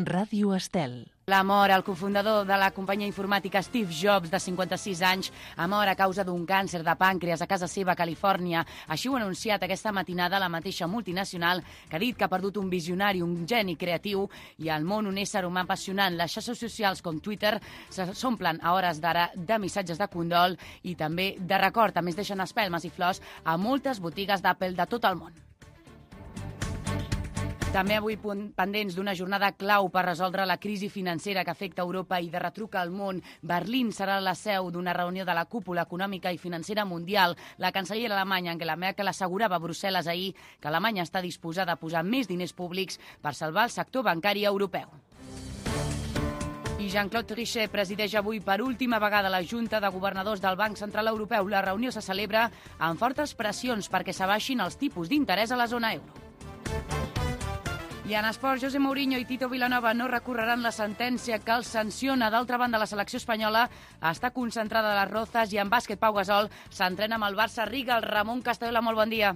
Ràdio Estel. La mort al cofundador de la companyia informàtica Steve Jobs, de 56 anys, ha mort a causa d'un càncer de pàncreas a casa seva a Califòrnia. Així ho ha anunciat aquesta matinada la mateixa multinacional, que ha dit que ha perdut un visionari, un geni creatiu i al món un ésser humà apassionant. Les xarxes socials com Twitter s'omplen a hores d'ara de missatges de condol i també de record. A més, deixen espelmes i flors a moltes botigues d'Apple de tot el món. També avui pendents d'una jornada clau per resoldre la crisi financera que afecta Europa i de retruc al món. Berlín serà la seu d'una reunió de la cúpula econòmica i financera mundial. La cancellera alemanya Angela Merkel assegurava a Brussel·les ahir que Alemanya està disposada a posar més diners públics per salvar el sector bancari europeu. I Jean-Claude Trichet presideix avui per última vegada la Junta de Governadors del Banc Central Europeu. La reunió se celebra amb fortes pressions perquè s'abaixin els tipus d'interès a la zona euro. I en esports, José Mourinho i Tito Vilanova no recorreran la sentència que els sanciona. D'altra banda, la selecció espanyola està concentrada a les Rozas i en bàsquet Pau Gasol s'entrena amb el Barça Riga. El Ramon Castayola, molt bon dia.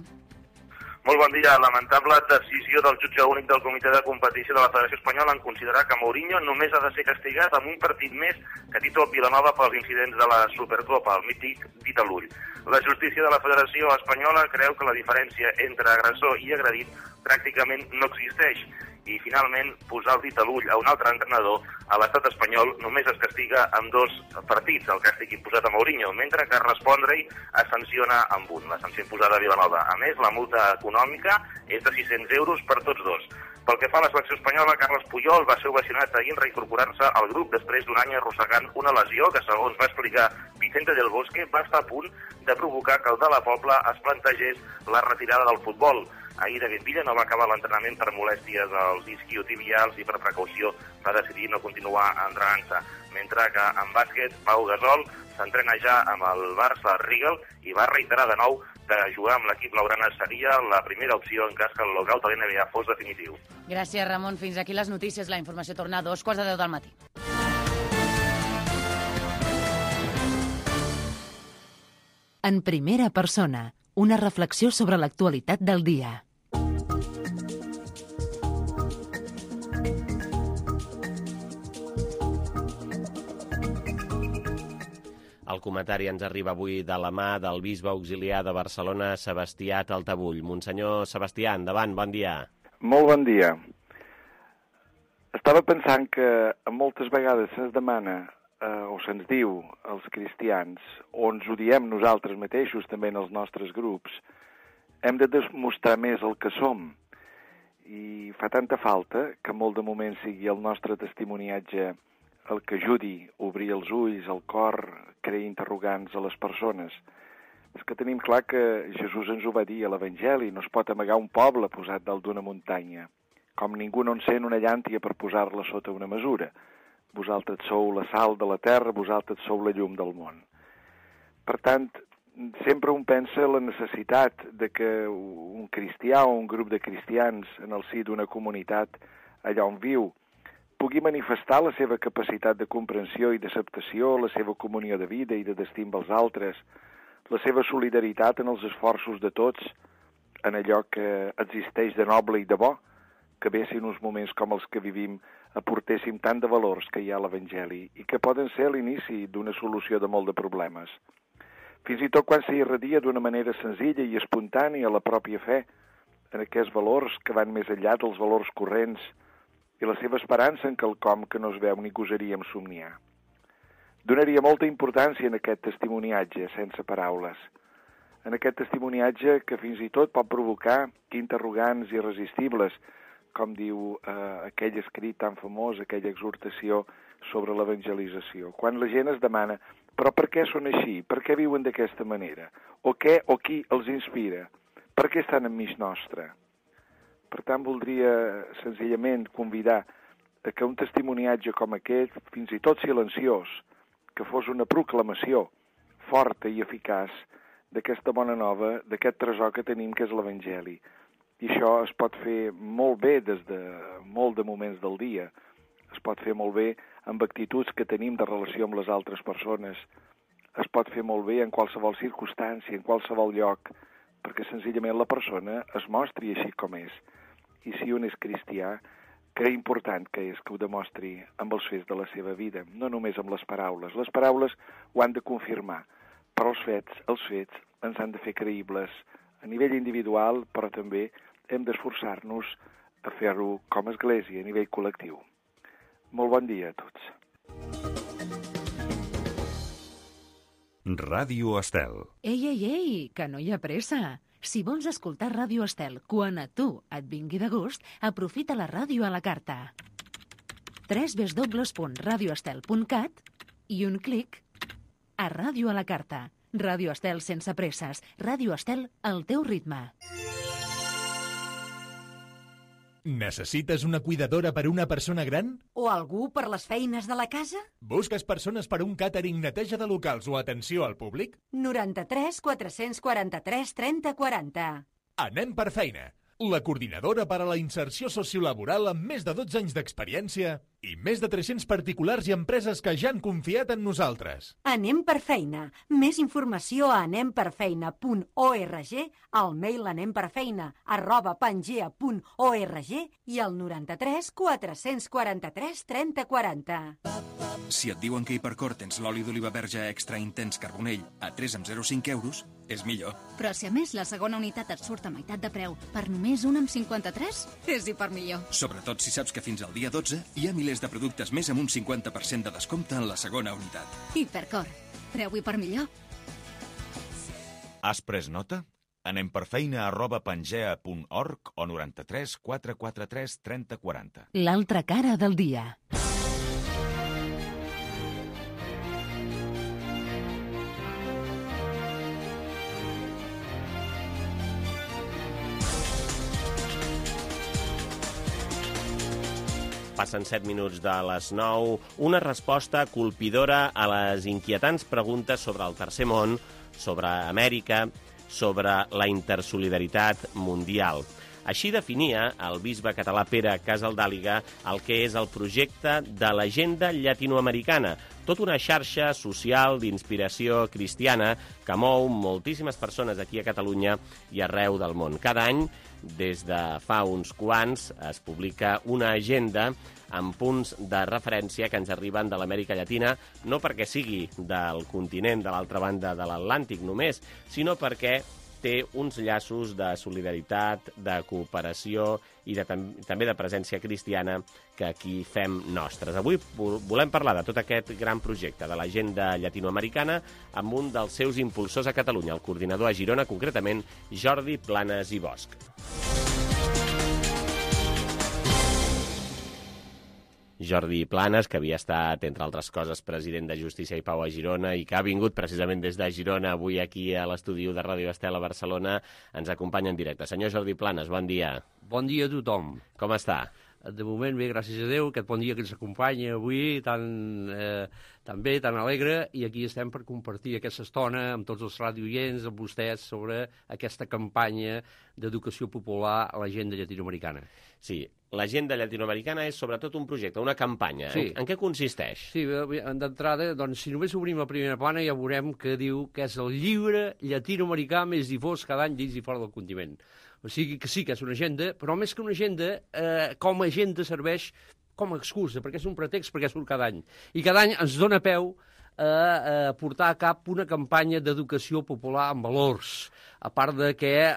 Molt bon dia. Lamentable decisió del jutge únic del Comitè de Competició de la Federació Espanyola en considerar que Mourinho només ha de ser castigat amb un partit més que Tito Vilanova pels incidents de la Supercopa, el mític dit a l'ull. La justícia de la Federació Espanyola creu que la diferència entre agressor i agredit pràcticament no existeix i, finalment, posar el dit a l'ull a un altre entrenador a l'estat espanyol només es castiga amb 2 partits, el càstig imposat a Mourinho, mentre que respondre-hi es sanciona amb un, la sanció imposada a Vilanova. A més, la multa econòmica és de 600 euros per tots dos. Pel que fa a la selecció espanyola, Carles Puyol va ser ovacionat ahir en reincorporar-se al grup després d'un any arrossegant una lesió que, segons va explicar Vicente del Bosque, va estar a punt de provocar que el de la Pobla es plantegés la retirada del futbol. Ahir David Villa no va acabar l'entrenament per molèsties als isquiotibials i per precaució va decidir no continuar entrenant-se. Mentre que en bàsquet, Pau Gasol s'entrena ja amb el Barça Rigal i va reiterar de nou que jugar amb l'equip blaugrana seria la primera opció en cas que el lockout de l'NBA fos definitiu. Gràcies, Ramon. Fins aquí les notícies. La informació torna a 2:15 del matí. En primera persona, una reflexió sobre l'actualitat del dia. El comentari ens arriba avui de la mà del bisbe auxiliar de Barcelona, Sebastià Taltabull. Monsenyor Sebastià, endavant, bon dia. Molt bon dia. Estava pensant que moltes vegades se'ns demana o se'ns diu als cristians, o ens ho diem nosaltres mateixos també en els nostres grups, hem de demostrar més el que som. I fa tanta falta que molt de moment sigui el nostre testimoniatge el que ajudi a obrir els ulls, el cor, crear interrogants a les persones. És que tenim clar que Jesús ens ho va dir a l'Evangeli, no es pot amagar un poble posat dalt d'una muntanya, com ningú no encén una llàntia per posar-la sota una mesura. Vosaltres sou la sal de la terra, vosaltres sou la llum del món. Per tant, sempre un pensa la necessitat de que un cristià o un grup de cristians en el si d'una comunitat allà on viu pugui manifestar la seva capacitat de comprensió i d'acceptació, la seva comunió de vida i de destí amb els altres, la seva solidaritat en els esforços de tots, en allò que existeix de noble i de bo, que bé si en uns moments com els que vivim aportéssim tant de valors que hi ha a l'Evangeli i que poden ser l'inici d'una solució de molt de problemes. Fins i tot quan s'irradia d'una manera senzilla i espontània la pròpia fe en aquests valors que van més enllà dels valors corrents i la seva esperança en quelcom que no es veu ni gosaríem somniar. Donaria molta importància en aquest testimoniatge, sense paraules. En aquest testimoniatge que fins i tot pot provocar interrogants irresistibles, com diu aquell escrit tan famós, aquella exhortació sobre l'evangelització. Quan la gent es demana, però per què són així? Per què viuen d'aquesta manera? O què o qui els inspira? Per què estan enmig nostre? Per tant, voldria senzillament convidar a que un testimoniatge com aquest, fins i tot silenciós, que fos una proclamació forta i eficaç d'aquesta bona nova, d'aquest tresor que tenim, que és l'Evangeli. I això es pot fer molt bé des de molt de moments del dia. Es pot fer molt bé amb actituds que tenim de relació amb les altres persones. Es pot fer molt bé en qualsevol circumstància, en qualsevol lloc, perquè senzillament la persona es mostri així com és. I si un és cristià, que important que és que ho demostri amb els fets de la seva vida, no només amb les paraules. Les paraules ho han de confirmar, però els fets ens han de fer creïbles a nivell individual, però també hem d'esforçar-nos a fer-ho com a església, a nivell col·lectiu. Molt bon dia a tots. Ràdio Estel. Ei, que no hi ha pressa. Si vols escoltar Ràdio Estel quan a tu et vingui de gust, aprofita la ràdio a la carta. www.radioestel.cat i un clic a Ràdio a la carta. Ràdio Estel sense presses. Ràdio Estel al teu ritme. Necessites una cuidadora per una persona gran? O algú per les feines de la casa? Busques persones per un càtering, neteja de locals o atenció al públic? 93 443 30 40. Anem per feina. La coordinadora per a la inserció sociolaboral amb més de 12 anys d'experiència i més de 300 particulars i empreses que ja han confiat en nosaltres. Anem per feina. Més informació a anemperfeina.org, al mail anemperfeina@pangea.org i al 93 443 30 40. Si et diuen que Hipercor tens l'oli d'oliva verge extra intens carbonell a 3,05 euros, és millor. Però si a més la segona unitat et surt a meitat de preu per només 1,53, és hipermillor. Sobretot si saps que fins al dia 12 hi ha milers de productes més amb un 50% de descompte en la segona unitat. Hipercor. Preu hipermillor. Has pres nota? Anem per feina@pangea.org o 93 443 30 40. L'altra cara del dia. Passen 7 minuts de les 9. Una resposta colpidora a les inquietants preguntes sobre el tercer món, sobre Amèrica, sobre la intersolidaritat mundial. Així definia el bisbe català Pere Casaldàliga el que és el projecte de l'Agenda Llatinoamericana, tota una xarxa social d'inspiració cristiana que mou moltíssimes persones aquí a Catalunya i arreu del món. Cada any, des de fa uns quants, es publica una agenda amb punts de referència que ens arriben de l'Amèrica Llatina, no perquè sigui del continent de l'altra banda de l'Atlàntic només, sinó perquè té uns llaços de solidaritat, de cooperació i també de presència cristiana que aquí fem nostres. Avui volem parlar de tot aquest gran projecte de l'Agenda Llatinoamericana amb un dels seus impulsors a Catalunya, el coordinador a Girona, concretament Jordi Planes i Bosch. Jordi Planes, que havia estat, entre altres coses, president de Justícia i Pau a Girona i que ha vingut precisament des de Girona avui aquí a l'estudi de Ràdio Estel a Barcelona, ens acompanya en directe. Senyor Jordi Planes, bon dia. Bon dia a tothom. Com està? De moment bé, gràcies a Déu, aquest bon dia que ens acompanya avui, tan bé, tan alegre, i aquí estem per compartir aquesta estona amb tots els radioients, amb vostès, sobre aquesta campanya d'educació popular a l'Agenda Llatinoamericana. Sí, l'Agenda Llatinoamericana és sobretot un projecte, una campanya. Sí. En què consisteix? Sí, d'entrada, doncs, si només obrim la primera plana ja veurem que diu que és el llibre llatinoamericà més difós cada any dins i fora del continent. O sigui que sí que és una agenda, però més que una agenda, com a agenda serveix com a excusa, perquè és un pretext perquè surt cada any. I cada any ens dona peu a portar a cap una campanya d'educació popular amb valors. A part de que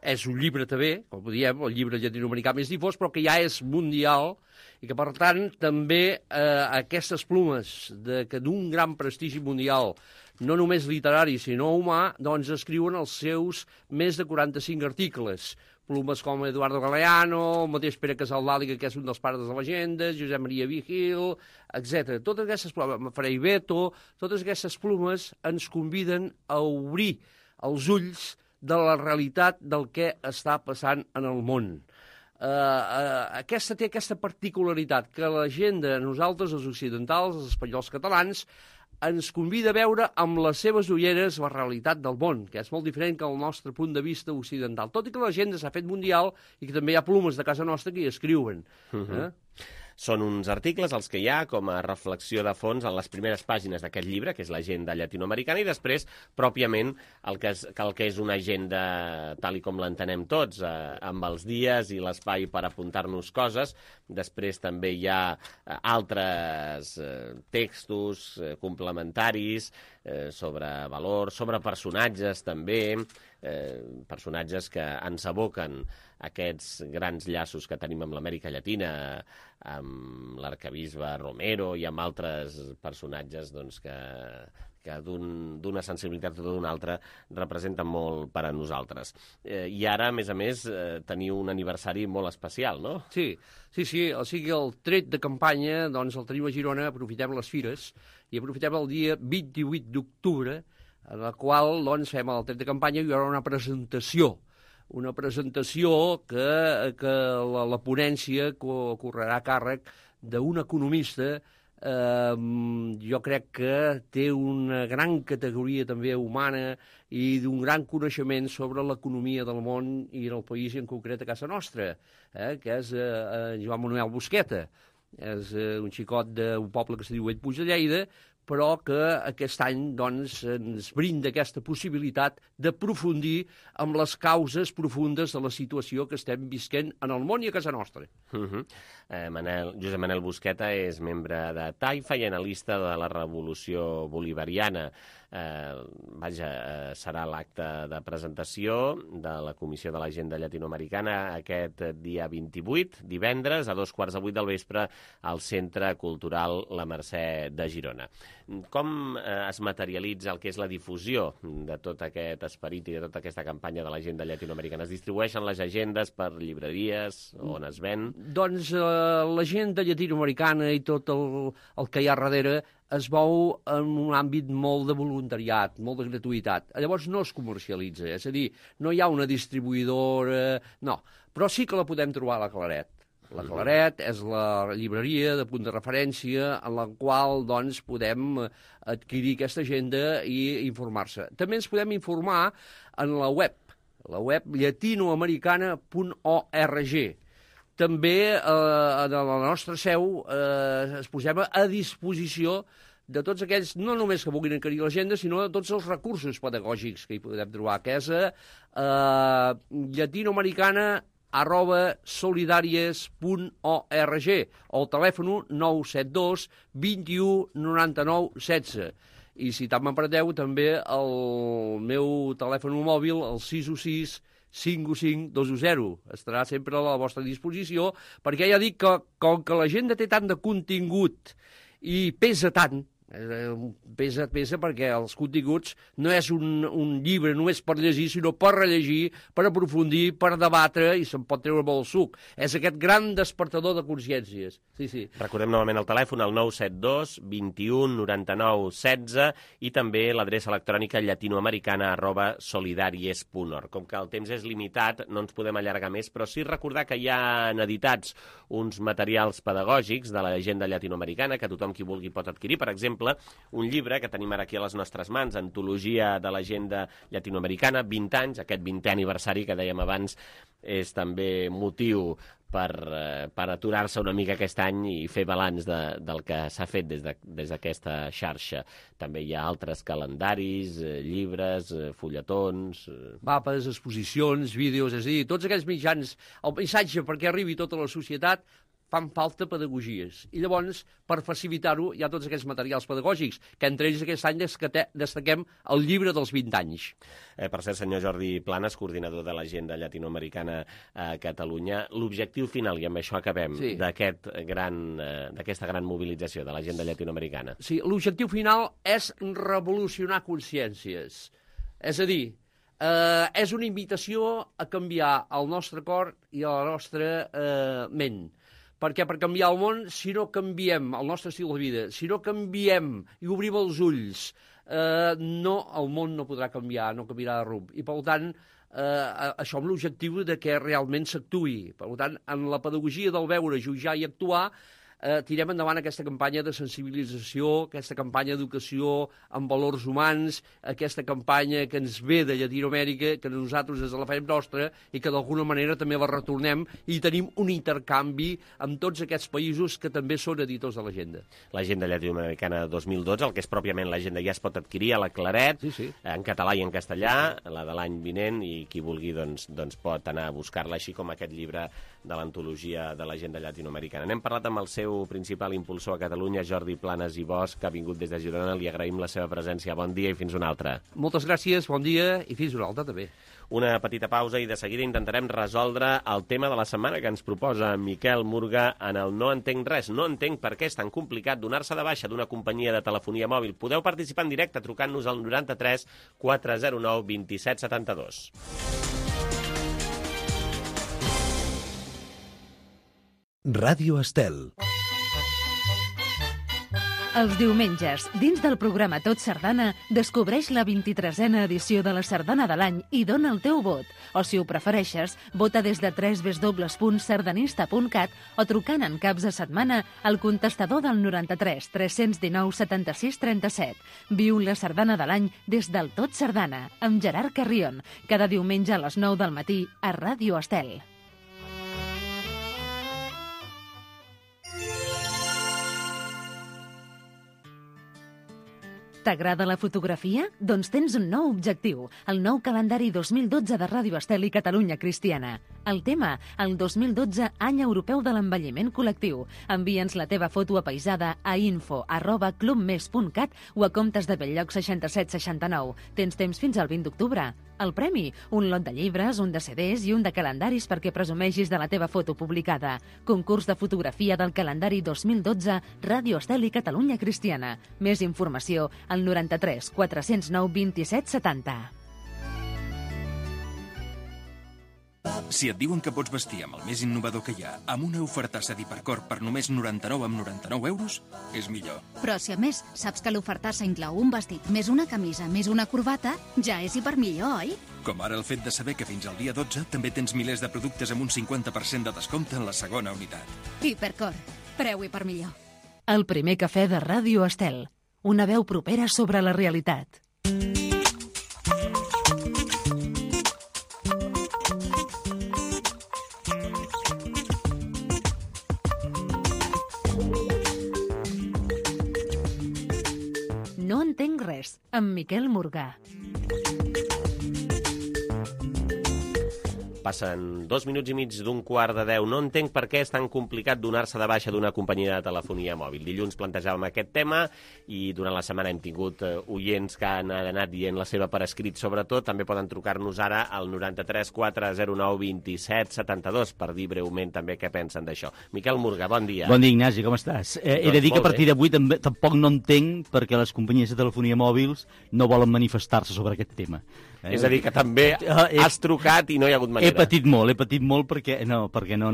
és un llibre també, com diem, el llibre llatinoamericà més difós, però que ja és mundial i que, per tant, també aquestes plumes d'un gran prestigi mundial, no només literari, sinó humà, doncs escriuen els seus més de 45 articles. Plumes com Eduardo Galeano, el mateix Pere Casaldàliga, que és un dels pares de l'agenda, Josep Maria Vigil, etc. Totes aquestes plumes, Frei Beto, totes aquestes plumes ens conviden a obrir els ulls de la realitat del que està passant en el món. Aquesta té aquesta particularitat, que l'agenda, nosaltres, els occidentals, els espanyols catalans, ens convida a veure amb les seves ulleres la realitat del món, que és molt diferent que el nostre punt de vista occidental. Tot i que l'agenda s'ha fet mundial i que també hi ha plumes de casa nostra que hi escriuen. Són uns articles els que hi ha com a reflexió de fons en les primeres pàgines d'aquest llibre, que és l'agenda llatinoamericana, i després, pròpiament, el que és una agenda tal i com l'entenem tots, amb els dies i l'espai per apuntar-nos coses. Després també hi ha altres textos complementaris sobre valors, sobre personatges també, personatges que ens aboquen aquests grans llaços que tenim amb l'Amèrica Llatina, amb l'arquebisbe Romero i amb altres personatges que d'una sensibilitat o d'una altra representen molt per a nosaltres. I ara, a més, teniu un aniversari molt especial, no? Sí. O sigui, el tret de campanya, doncs el tenim a Girona, aprofitem les fires i aprofitem el dia 28 d'octubre, en la qual doncs, fem el tret de campanya i hi haurà una presentació que la ponència correrà a càrrec d'un economista. Jo crec que té una gran categoria també humana i d'un gran coneixement sobre l'economia del món i del país, i en concret a casa nostra, que és Joan Manuel Busqueta. És un xicot d'un poble que se diu Bellpuig de Lleida, però que aquest any doncs, ens brinda aquesta possibilitat d'aprofundir amb les causes profundes de la situació que estem visquent en el món i a casa nostra. Josep Manel Busqueta és membre de Taifa i analista de la Revolució Bolivariana. Serà l'acte de presentació de la Comissió de l'Agenda Llatinoamericana aquest dia 28, divendres, a 7:15 del vespre, al Centre Cultural La Mercè de Girona. Com es materialitza el que és la difusió de tot aquest esperit i de tota aquesta campanya de l'agenda llatinoamericana? Es distribueixen les agendes per llibreries, on es ven? Doncs l'agenda llatinoamericana i tot el que hi ha darrere es mou en un àmbit molt de voluntariat, molt de gratuïtat. Llavors no es comercialitza, és a dir, no hi ha una distribuïdora, no, però sí que la podem trobar a la Claret. La Claret és la llibreria de punt de referència en la qual doncs, podem adquirir aquesta agenda i informar-se. També ens podem informar en la web latinoamericana.org. També a la nostra seu es posem a disposició de tots aquells, no només que vulguin adquirir l'agenda, sinó de tots els recursos pedagògics que hi podem trobar, que és latinoamericana@solidaries.org o el telèfon 972 21 99 16. I si tant m'apreteu, també el meu telèfon mòbil, el 616 515 210. Estarà sempre a la vostra disposició, perquè ja dic que com que l'agenda té tant de contingut i pesa tant, pesa perquè els continguts no és un llibre només per llegir, sinó per rellegir, per aprofundir, per debatre, i se'n pot treure molt suc. És aquest gran despertador de consciències. Sí. Recordem novament el telèfon, el 972 21 99 16, i també l'adreça electrònica latinoamericana@solidaries.org. Com que el temps és limitat, no ens podem allargar més, però sí recordar que hi ha editats uns materials pedagògics de l'agenda llatinoamericana que tothom qui vulgui pot adquirir. Per exemple, un llibre que tenim ara aquí a les nostres mans, Antologia de l'Agenda Llatinoamericana, 20 anys, aquest 20è aniversari que dèiem abans és també motiu per aturar-se una mica aquest any i fer balanç del que s'ha fet des d'aquesta xarxa. També hi ha altres calendaris, llibres, fulletons... Mapes, exposicions, vídeos, és a dir, tots aquells mitjans, el missatge perquè arribi tota la societat, fan falta pedagogies. I llavors, per facilitar-ho, hi ha tots aquests materials pedagògics, que entre ells aquest any destaquem el llibre dels 20 anys. Per cert, senyor Jordi Planes, coordinador de l'Agenda Llatinoamericana a Catalunya, l'objectiu final, i amb això acabem, d'aquesta gran mobilització de l'Agenda Llatinoamericana. Sí, l'objectiu final és revolucionar consciències. És a dir, és una invitació a canviar el nostre cor i la nostra ment. Perquè per canviar el món, si no canviem el nostre estil de vida, si no canviem i obrim els ulls, el món no podrà canviar, no canviarà de rumb. I, per tant, això amb l'objectiu de que realment s'actuï. Per tant, en la pedagogia del veure, jutjar i actuar, tirem endavant aquesta campanya de sensibilització, aquesta campanya d'educació en valors humans, aquesta campanya que ens ve de Llatinoamèrica, que nosaltres la fem nostra i que d'alguna manera també la retornem i tenim un intercanvi amb tots aquests països que també són editors de l'agenda. L'agenda llatinoamericana 2012, el que és pròpiament l'agenda, ja es pot adquirir a la Claret, en català i en castellà, la de l'any vinent, i qui vulgui doncs pot anar a buscar-la, així com aquest llibre de l'antologia de l'agenda llatinoamericana. N'hem parlat amb el seu principal impulsor a Catalunya, Jordi Planes i Bosch, que ha vingut des de Girona. Li agraïm la seva presència. Bon dia i fins una altra. Moltes gràcies, bon dia i fins una altra també. Una petita pausa i de seguida intentarem resoldre el tema de la setmana que ens proposa Miquel Murga en el No entenc res. No entenc per què és tan complicat donar-se de baixa d'una companyia de telefonia mòbil. Podeu participar en directe trucant-nos al 93 409 27 72. Ràdio Estel. Els diumenges, dins del programa Tot Sardana, descobreix la 23a edició de la Sardana de l'any i dona el teu vot. O, si ho prefereixes, vota des de www.sardanista.cat o trucant en caps de setmana al contestador del 93 319 76 37. Viu la Sardana de l'any des del Tot Sardana, amb Gerard Carrion, cada diumenge a les 9 del matí a Ràdio Estel. T'agrada la fotografia? Doncs tens un nou objectiu, el nou calendari 2012 de Ràdio Estel i Catalunya Cristiana. El tema, el 2012 Any Europeu de l'Envelliment Col·lectiu. Envia'ns la teva foto apaïsada a info@clubmes.cat o a comptes de Belllloc 6769. Tens temps fins al 20 d'octubre. El premi, un lot de llibres, un de CDs i un de calendaris perquè presumeixis de la teva foto publicada. Concurs de fotografia del calendari 2012 Ràdio Estel i Catalunya Cristiana. Més informació al 93 409 27 70. Si et diuen que pots vestir amb el més innovador que hi ha, amb una ofertassa d'Hipercor per només 99 euros, és millor. Però si a més saps que l'ofertassa inclou un vestit més una camisa més una corbata, ja és hipermillor, oi? Com ara el fet de saber que fins al dia 12 també tens milers de productes amb un 50% de descompte en la segona unitat. Hipercor, preu hipermillor. El primer cafè de Ràdio Estel. Una veu propera sobre la realitat. No entenc res, amb Miquel Murga. Passen 2 minuts i mig d'un quart de 10. No entenc per què és tan complicat donar-se de baixa d'una companyia de telefonia mòbil. Dilluns plantejàvem aquest tema i durant la setmana hem tingut oients que han anat dient la seva per escrit. Sobretot, també poden trucar-nos ara al 93 409 27 72 per dir breument també què pensen d'això. Miquel Murga, bon dia. Bon dia, Ignasi, com estàs? He de dir que a partir d'avui tampoc no entenc perquè les companyies de telefonia mòbils no volen manifestar-se sobre aquest tema. És a dir, que també has trucat i no hi ha hagut manera. He patit molt perquè no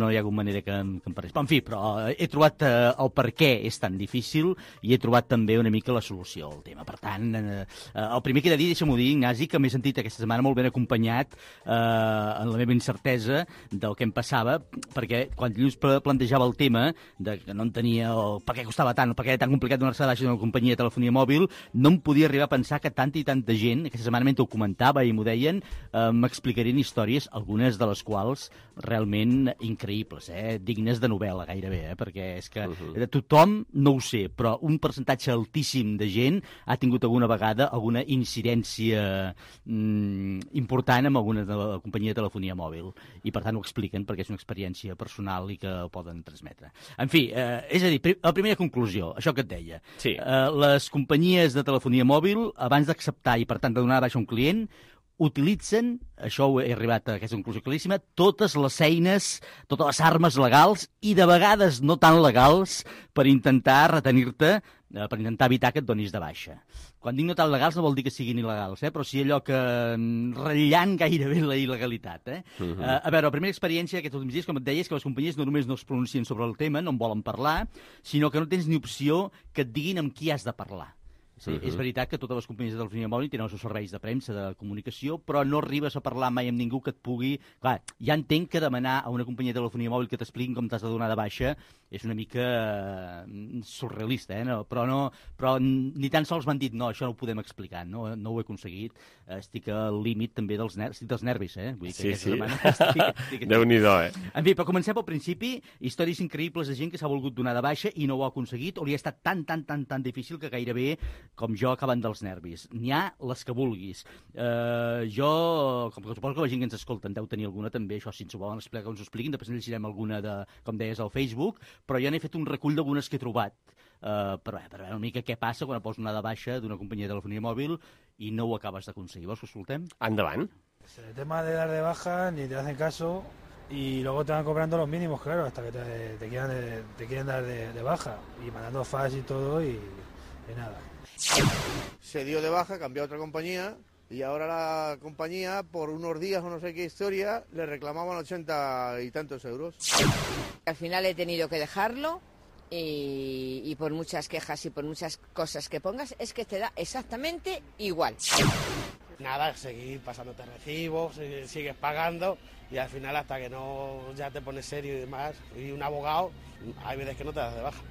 hi ha hagut manera que em parés. En fi, però he trobat el per què és tan difícil i he trobat també una mica la solució al tema. Per tant, el primer que he de dir, deixa'm-ho dir, Ignasi, que m'he sentit aquesta setmana molt ben acompanyat en la meva incertesa del que em passava, perquè quan dilluns plantejava el tema de que no entenia per què costava tant, per què era tan complicat donar-se de baixa d'una companyia de telefonia mòbil, no em podia arribar a pensar que tanta i tanta gent, aquesta setmana mentre ho comentava i m'ho deien, m'explicarien històries, algunes de les quals realment increïbles, dignes de novel·la gairebé, perquè és que tothom no ho sé, però un percentatge altíssim de gent ha tingut alguna vegada alguna incidència important amb alguna de la companyia de telefonia mòbil i per tant ho expliquen perquè és una experiència personal i que ho poden transmetre. En fi, és a dir, la primera conclusió, això que et deia, les companyies de telefonia mòbil, abans d'acceptar i per tant de donar de baixa un client, utilitzen, això he arribat a aquesta conclusió claríssima, totes les eines, totes les armes legals i de vegades no tan legals per intentar retenir-te, per intentar evitar que et donis de baixa. Quan dic no tan legals no vol dir que siguin il·legals, però sí allò que ratllant gairebé la il·legalitat. A veure, la primera experiència aquests últims dies, com et deia, és que les companyies no només no es pronuncien sobre el tema, no en volen parlar, sinó que no tens ni opció que et diguin amb qui has de parlar. Sí, és veritat que totes les companyies de telefonia mòbil tenen els seus serveis de premsa, de comunicació, però no arribes a parlar mai amb ningú que et pugui... Clar, ja entenc que demanar a una companyia de telefonia mòbil que t'expliquin com t'has de donar de baixa és una mica surrealista, però ni tan sols m'han dit no, això no ho podem explicar, no ho he aconseguit, estic al límit també dels nervis, Vull dir que sí. Déu-n'hi-do, En fi, però comencem pel principi, històries increïbles de gent que s'ha volgut donar de baixa i no ho ha aconseguit, o li ha estat tan difícil que gairebé, com jo, acaben dels nervis. N'hi ha les que vulguis. Jo, com que suposo que la gent que ens escolta en deu tenir alguna també, això si ens ho volen explicar, que ens ho expliquin, després en llegirem alguna, com deies, al Facebook, però jo n'he fet un recull d'algunes que he trobat, per veure una mica què passa quan pots anar de baixa d'una companyia de telefonia mòbil i no ho acabes d'aconseguir. Vols que escoltem? Endavant. El tema de dar de baja, ni te hacen caso y luego te van cobrando los mínimos, claro, hasta que te quieren dar de baja y mandando fax y todo y nada. Se dio de baja, cambió a otra compañía y ahora la compañía, por unos días o no sé qué historia, le reclamaban 80 y tantos euros. Al final he tenido que dejarlo y por muchas quejas y por muchas cosas que pongas, es que te da exactamente igual. Nada, seguir pasándote recibos, sigues pagando y al final hasta que no ya te pones serio y demás, y un abogado, hay veces que no te das de baja.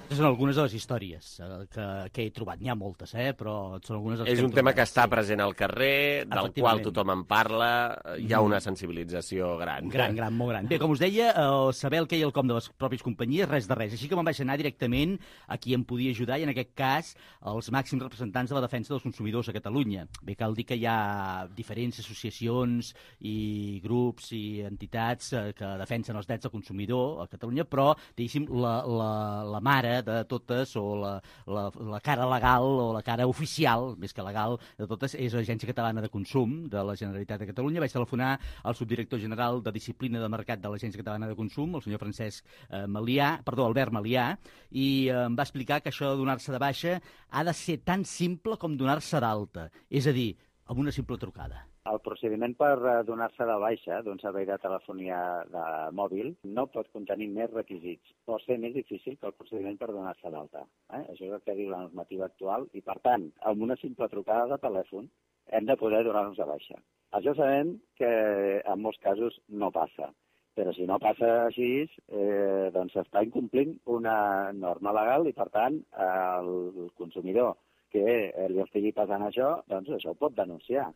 Són algunes de les històries que he trobat. N'hi ha moltes, però són algunes de les És un tema que està present al carrer, del qual tothom en parla, hi ha una sensibilització gran. Gran, molt gran. Bé, com us deia, saber el què i el com de les pròpies companyies, res de res. Així que me'n vaig anar directament a qui em podia ajudar, i en aquest cas, els màxims representants de la defensa dels consumidors a Catalunya. Bé, cal dir que hi ha diferents associacions i grups i entitats que defensen els drets del consumidor a Catalunya, però, diguéssim, la mare de totes, o la cara legal o la cara oficial, més que legal, de totes, és l'Agència Catalana de Consum de la Generalitat de Catalunya. Vaig telefonar al subdirector general de Disciplina de Mercat de l'Agència Catalana de Consum, el senyor Albert Malià, i em va explicar que això de donar-se de baixa ha de ser tan simple com donar-se d'alta, és a dir, amb una simple trucada. El procediment per donar-se de baixa d'un servei de telefonia de mòbil no pot contenir més requisits. Pot ser més difícil que el procediment per donar-se d'alta. Això és el que diu la normativa actual i, per tant, amb una simple trucada de telèfon hem de poder donar-nos de baixa. Això sabem que en molts casos no passa, però si no passa així, doncs s'està incomplint una norma legal i, per tant, el consumidor que li estigui passant això, doncs això ho pot denunciar.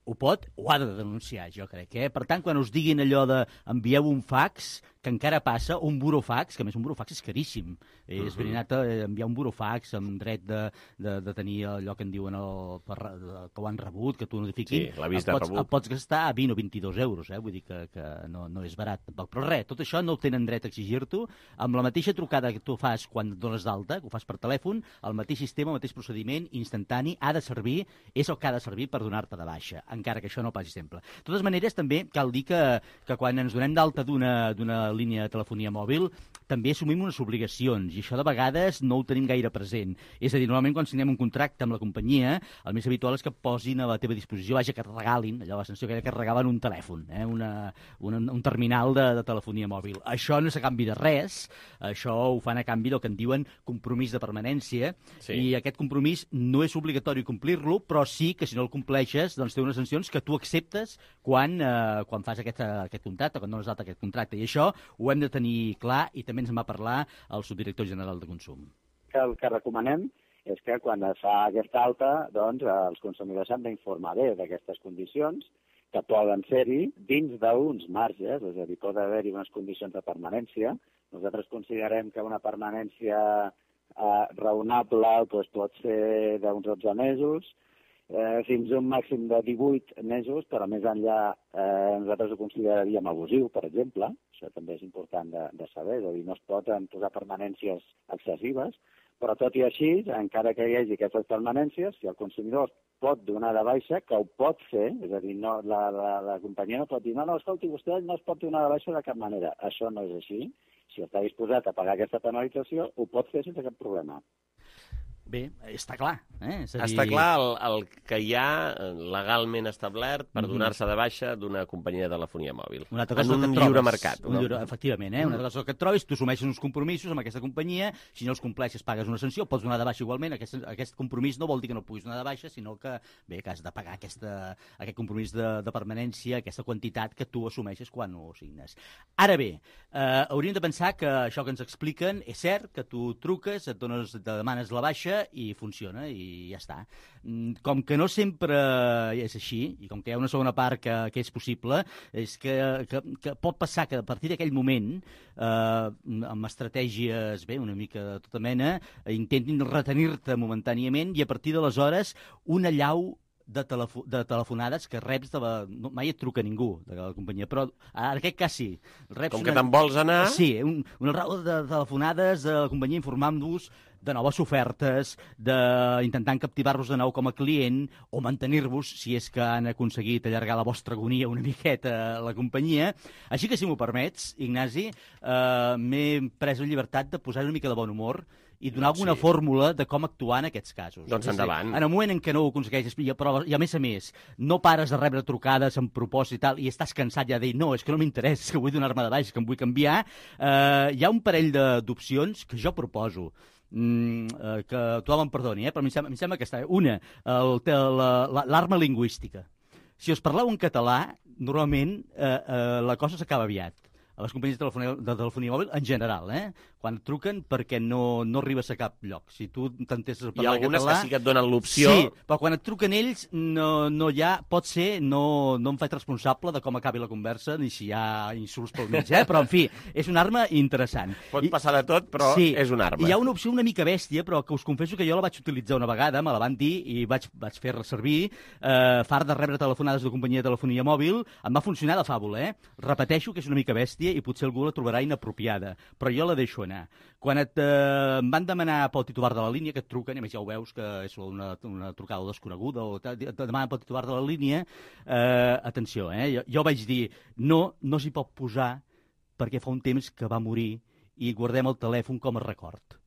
Ho pot o ha de denunciar, jo crec. Per tant, quan us diguin allò de envieu un fax, que encara passa, un burofax, que a més un burofax és caríssim. És verinat enviar un burofax amb dret de tenir allò que en diuen que ho han rebut, que t'ho notifiquin. Sí, l'avís de rebut. Et pots gastar a 20 o 22 euros, vull dir que no és barat tampoc. Però res, tot això no tenen dret a exigir-t'ho. Amb la mateixa trucada que tu fas quan et dones d'alta, que ho fas per telèfon, el mateix sistema, el mateix procediment instantani ha de servir, és el que ha de servir per donar-te de baixa, encara que això no passi sempre. De totes maneres, també cal dir que quan ens donem d'alta d'una línia de telefonia mòbil, també assumim unes obligacions, i això de vegades no ho tenim gaire present. És a dir, normalment quan signem un contracte amb la companyia, el més habitual és que posin a la teva disposició, vaja, que et regalin, allò la sensació que et regalen un telèfon, un terminal de telefonia mòbil. Això no és a canvi de res, això ho fan a canvi del que en diuen compromís de permanència, i aquest compromís no és obligatori complir-lo, però sí que si no el compleixes, doncs té unes sancions que tu acceptes quan fas aquest contracte, quan dones d'alta aquest contracte. I això ho hem de tenir clar, i també ens en va parlar el subdirector general de Consum. El que recomanem és que quan es fa aquesta alta, doncs els consumidors s'han d'informar bé d'aquestes condicions, que poden ser-hi dins d'uns marges, és a dir, pot haver-hi unes condicions de permanència. Nosaltres considerem que una permanència raonable pot ser d'uns 12 mesos, fins a un màxim de 18 mesos, però més enllà nosaltres ho consideraríem abusiu, per exemple. Això també és important de saber, és a dir, no es poden posar permanències excessives, però tot i així, encara que hi hagi aquestes permanències, si el consumidor pot donar de baixa, que ho pot fer, és a dir, la companyia no pot dir no, escolti, vostè no es pot donar de baixa de cap manera. Això no és així. Si està disposat a pagar aquesta penalització, ho pot fer sense cap problema. Bé, està clar. És a dir... Està clar el que hi ha legalment establert per donar-se de baixa d'una companyia de telefonia mòbil. En un lliure mercat. Efectivament, una altra cosa que et trobis, tu assumeixes uns compromisos amb aquesta companyia, si no els compleixes pagues una sanció, pots donar de baixa igualment. Aquest compromís no vol dir que no puguis donar de baixa, sinó que has de pagar aquest compromís de permanència, aquesta quantitat que tu assumeixes quan ho signes. Ara bé, hauríem de pensar que això que ens expliquen és cert, que tu truques, te demanes la baixa i funciona i ja està. Com que no sempre és així, i com que hi ha una segona part que és possible, és que pot passar que a partir d'aquell moment, amb estratègies una mica de tota mena, intentin retenir-te momentàniament i a partir d'aleshores una allau de telefonades que reps mai et truca ningú de la companyia, però en aquest cas sí. Com que te'n vols anar... Sí, una raó de telefonades de la companyia informant-vos de noves ofertes, d'intentant captivar-vos de nou com a client o mantenir-vos, si és que han aconseguit allargar la vostra agonia una miqueta a la companyia. Així que, si m'ho permets, Ignasi, m'he pres la llibertat de posar una mica de bon humor i donar alguna fórmula de com actuar en aquests casos. Doncs endavant. En el moment en què no ho aconsegueixes, però, i a més, no pares de rebre trucades amb propòsit i tal, i estàs cansat ja de dir, no, és que no m'interessa, és que vull donar-me de baix, que em vull canviar, hi ha un parell d'opcions que jo proposo. Que tothom em perdoni, però em sembla que està bé. Una, l'arma lingüística. Si us parleu en català, normalment la cosa s'acaba aviat. A les companyies de telefonia mòbil, en general, quan et truquen perquè no arribes a cap lloc. Si tu t'entestes a parlar català... Hi ha algunes que sí que et donen l'opció... Sí, però quan et truquen ells, no hi ha... Pot ser, no em faig responsable de com acabi la conversa, ni si hi ha insults pel mig, però, en fi, és una arma interessant. Pot passar de tot, però és una arma. Hi ha una opció una mica bèstia, però que us confesso que jo la vaig utilitzar una vegada, me la van dir i vaig fer servir, fart de rebre telefonades de companyia de telefonia mòbil, em va funcionar de fàbula, Repeteixo que és una mica bèstia i potser algú la trobarà inapropiada, però jo la deixo anar. Quan em van demanar pel titular de la línia, que et truquen, i a més ja ho veus que és una trucada desconeguda, o et demanen pel titular de la línia, atenció, jo vaig dir, no s'hi pot posar perquè fa un temps que va morir i guardem el telèfon com a record.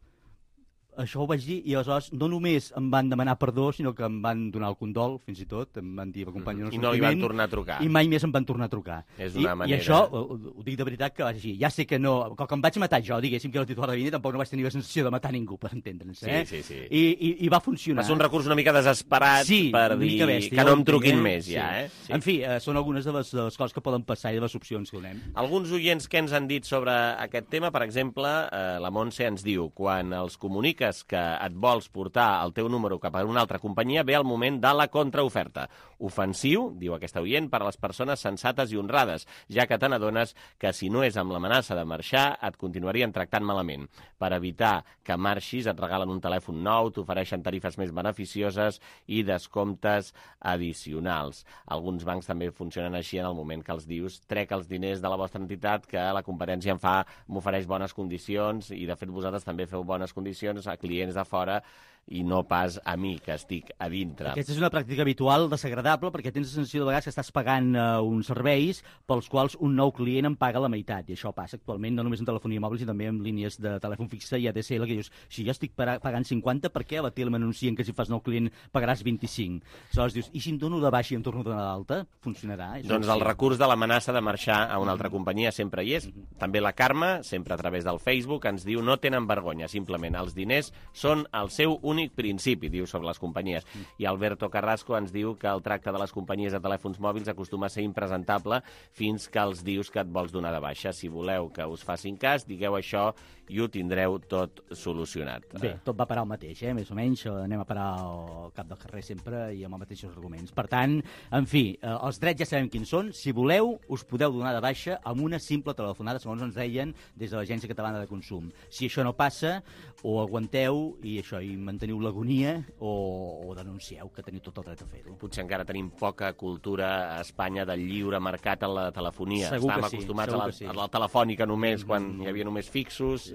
Això ho vaig dir i aleshores no només em van demanar perdó, sinó que em van donar el condol, fins i tot, em van dir acompanya i no li van tornar a trucar. I mai més em van tornar a trucar. És una manera... I això, ho dic de veritat, que vaig dir, ja sé que no... Com que em vaig matar jo, diguéssim que era el titular de línia, tampoc no vaig tenir la sensació de matar ningú, per entendre'ns. Sí. I va funcionar. Va ser un recurs una mica desesperat per dir que no em truquin més, ja, Sí. En fi, són algunes de les coses que poden passar i de les opcions que donem. Alguns oients que ens han dit sobre aquest tema, per exemple, la Montse ens diu, quan els comuniques que et vols portar el teu número cap a una altra companyia, ve el moment de la contraoferta. Ofensiu, diu aquesta oient, per a les persones sensates i honrades, ja que te n'adones que si no és amb l'amenaça de marxar, et continuarien tractant malament. Per evitar que marxis, et regalen un telèfon nou, t'ofereixen tarifes més beneficioses i descomptes addicionals. Alguns bancs també funcionen així en el moment que els dius trec els diners de la vostra entitat, que la competència m'ofereix bones condicions i, de fet, vosaltres també feu bones condicions a clients de fora i no pas a mi, que estic a dintre. Aquesta és una pràctica habitual, desagradable, perquè tens la sensació de vegades que estàs pagant uns serveis pels quals un nou client en paga la meitat, i això passa actualment no només en telefonia mòbil, sinó també en línies de telèfon fixe i ADSL, que dius, si jo estic pagant 50, per què a la tele m'anuncien que si fas nou client pagaràs 25? Aleshores dius, i si em dono de baixa i em torno a donar d'alta? Funcionarà? Doncs el recurs de l'amenaça de marxar a una altra companyia sempre hi és. També la Carme, sempre a través del Facebook, ens diu, no tenen vergonya, simplement els diners són el seu únic principi, diu, sobre les companyies. I Alberto Carrasco ens diu que el tracte de les companyies de telèfons mòbils acostuma a ser impresentable fins que els dius que et vols donar de baixa. Si voleu que us facin cas, digueu això i ho tindreu tot solucionat. Bé, tot va parar al mateix, més o menys. Anem a parar al cap del carrer sempre i amb els mateixos arguments. Per tant, en fi, els drets ja sabem quins són. Si voleu, us podeu donar de baixa amb una simple telefonada, segons ens deien des de l'Agència Catalana de Consum. Si això no passa, o aguanteu i manteniu l'agonia o denuncieu, que teniu tot el dret a fer-ho. Potser encara tenim poca cultura a Espanya del lliure mercat a la telefonia. Segur Estàvem que sí, acostumats a la telefònica només, quan hi havia només fixos,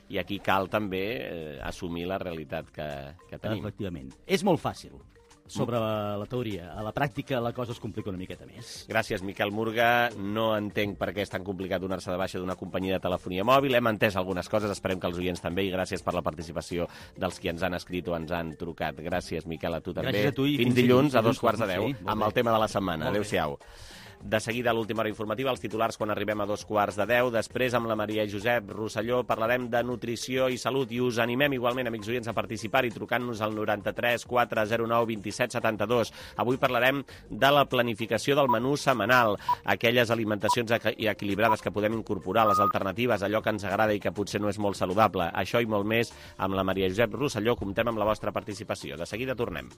i aquí cal també assumir la realitat que tenim. Efectivament. És molt fàcil. sobre la teoria. A la pràctica la cosa es complica una miqueta més. Gràcies, Miquel Murga. No entenc per què és tan complicat donar-se de baixa d'una companyia de telefonia mòbil. Hem entès algunes coses, esperem que els oients també, i gràcies per la participació dels qui ens han escrit o ens han trucat. Gràcies, Miquel, a tu també. Gràcies a tu i fins dilluns a 2:15, sí, amb el tema de la setmana. Adéu-siau. De seguida, a l'última hora informativa, els titulars quan arribem a 2:15. Després, amb la Maria Josep Rosselló, parlarem de nutrició i salut i us animem igualment, amics oients, a participar-hi trucant-nos al 93 409 27 72. Avui parlarem de la planificació del menú setmanal, aquelles alimentacions equilibrades que podem incorporar, les alternatives, allò que ens agrada i que potser no és molt saludable. Això i molt més amb la Maria Josep Rosselló. Comptem amb la vostra participació. De seguida tornem.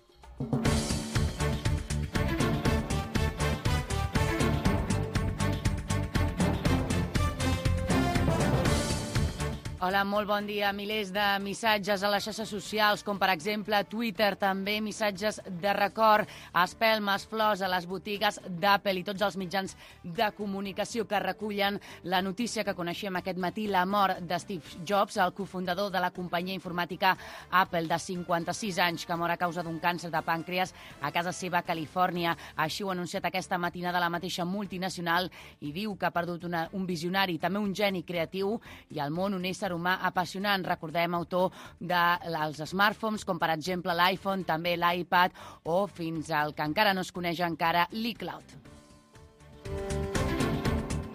Hola, molt bon dia. Milers de missatges a les xarxes socials, com per exemple Twitter, també missatges de record, espelmes, flors a les botigues d'Apple i tots els mitjans de comunicació que recullen la notícia que coneixem aquest matí, la mort de Steve Jobs, el cofundador de la companyia informàtica Apple, de 56 anys, que mor a causa d'un càncer de pàncreas a casa seva a Califòrnia. Així ho ha anunciat aquesta matinada la mateixa multinacional i diu que ha perdut un visionari, també un geni creatiu i al món un ésser humà apassionant. Recordem, autor dels smartphones, com per exemple l'iPhone, també l'iPad o fins al que encara no es coneix encara, l'iCloud.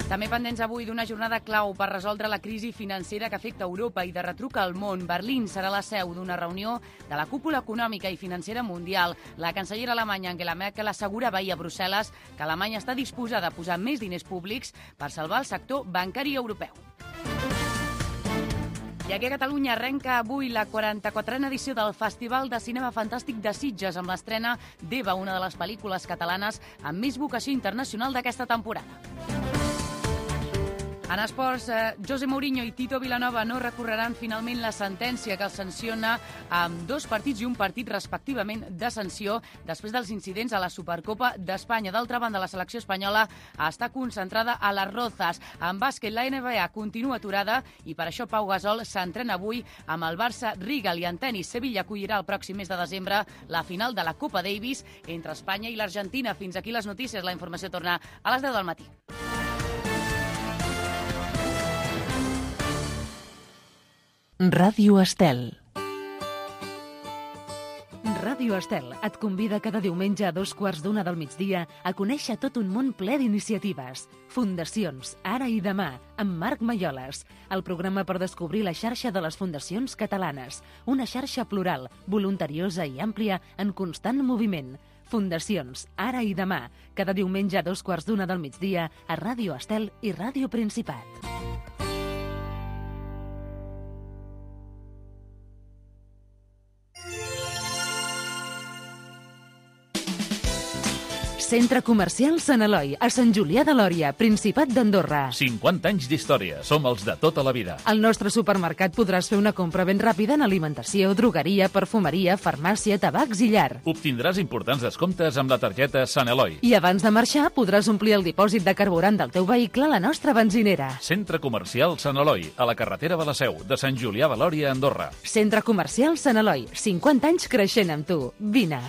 També pendents avui d'una jornada clau per resoldre la crisi financera que afecta Europa i de retruc al món. Berlín serà la seu d'una reunió de la cúpula econòmica i financera mundial. La cancellera alemanya Angela Merkel assegurava ahir a Brussel·les que Alemanya està disposada a posar més diners públics per salvar el sector bancari europeu. I aquí a Catalunya arrenca avui la 44a edició del Festival de Cinema Fantàstic de Sitges, amb l'estrena d'Eva, una de les pel·lícules catalanes amb més vocació internacional d'aquesta temporada. En esports, José Mourinho i Tito Vilanova no recorreran finalment la sentència que els sanciona amb 2 partits i un partit respectivament de sanció després dels incidents a la Supercopa d'Espanya. D'altra banda, la selecció espanyola està concentrada a les Rozas. En bàsquet, la NBA continua aturada i per això Pau Gasol s'entrena avui amb el Barça Rigal, i en tenis, Sevilla acollirà el pròxim mes de desembre la final de la Copa Davis entre Espanya i l'Argentina. Fins aquí les notícies. La informació torna a les 10 del matí. Ràdio Estel. Ràdio Estel et convida cada diumenge a 2:15 del migdia a conèixer tot un món ple d'iniciatives. Fundacions, ara i demà, amb Marc Maioles. El programa per descobrir la xarxa de les fundacions catalanes. Una xarxa plural, voluntariosa i àmplia en constant moviment. Fundacions, ara i demà, cada diumenge a 2:15 del migdia a Ràdio Estel i Ràdio Principat. Centre Comercial Sant Eloi, a Sant Julià de Lòria, Principat d'Andorra. 50 anys d'història, som els de tota la vida. Al nostre supermercat podràs fer una compra ben ràpida en alimentació, drogueria, perfumeria, farmàcia, tabacs i llar. Obtindràs importants descomptes amb la targeta Sant Eloi. I abans de marxar podràs omplir el dipòsit de carburant del teu vehicle a la nostra benzinera. Centre Comercial Sant Eloi, a la carretera de la Seu, de Sant Julià de Lòria, Andorra. Centre Comercial Sant Eloi, 50 anys creixent amb tu. Vine.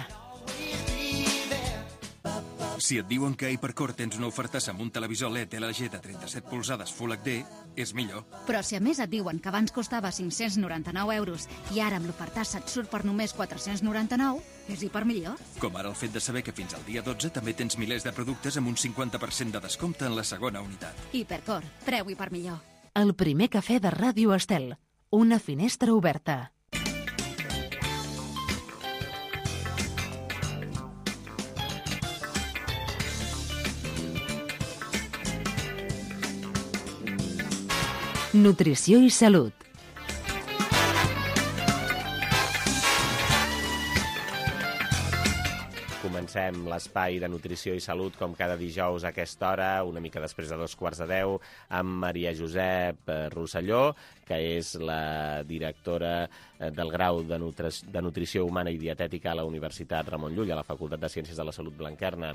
Si et diuen que a Hipercor tens una ofertassa amb un televisor LED LG de 37 polzades Full HD, és millor. Però si a més et diuen que abans costava 599 euros i ara amb l'ofertassa et surt per només 499, és Hipermillor. Com ara el fet de saber que fins al dia 12 també tens milers de productes amb un 50% de descompte en la segona unitat. Hipercor, preu Hipermillor. El primer cafè de Ràdio Estel. Una finestra oberta. Nutrició i salut. Comencem l'espai de nutrició i salut com cada dijous a aquesta hora, una mica després de 2:15, amb Maria Josep Rosselló, que és la directora del grau de Nutrició Humana i Dietètica a la Universitat Ramon Llull, a la Facultat de Ciències de la Salut Blanquerna.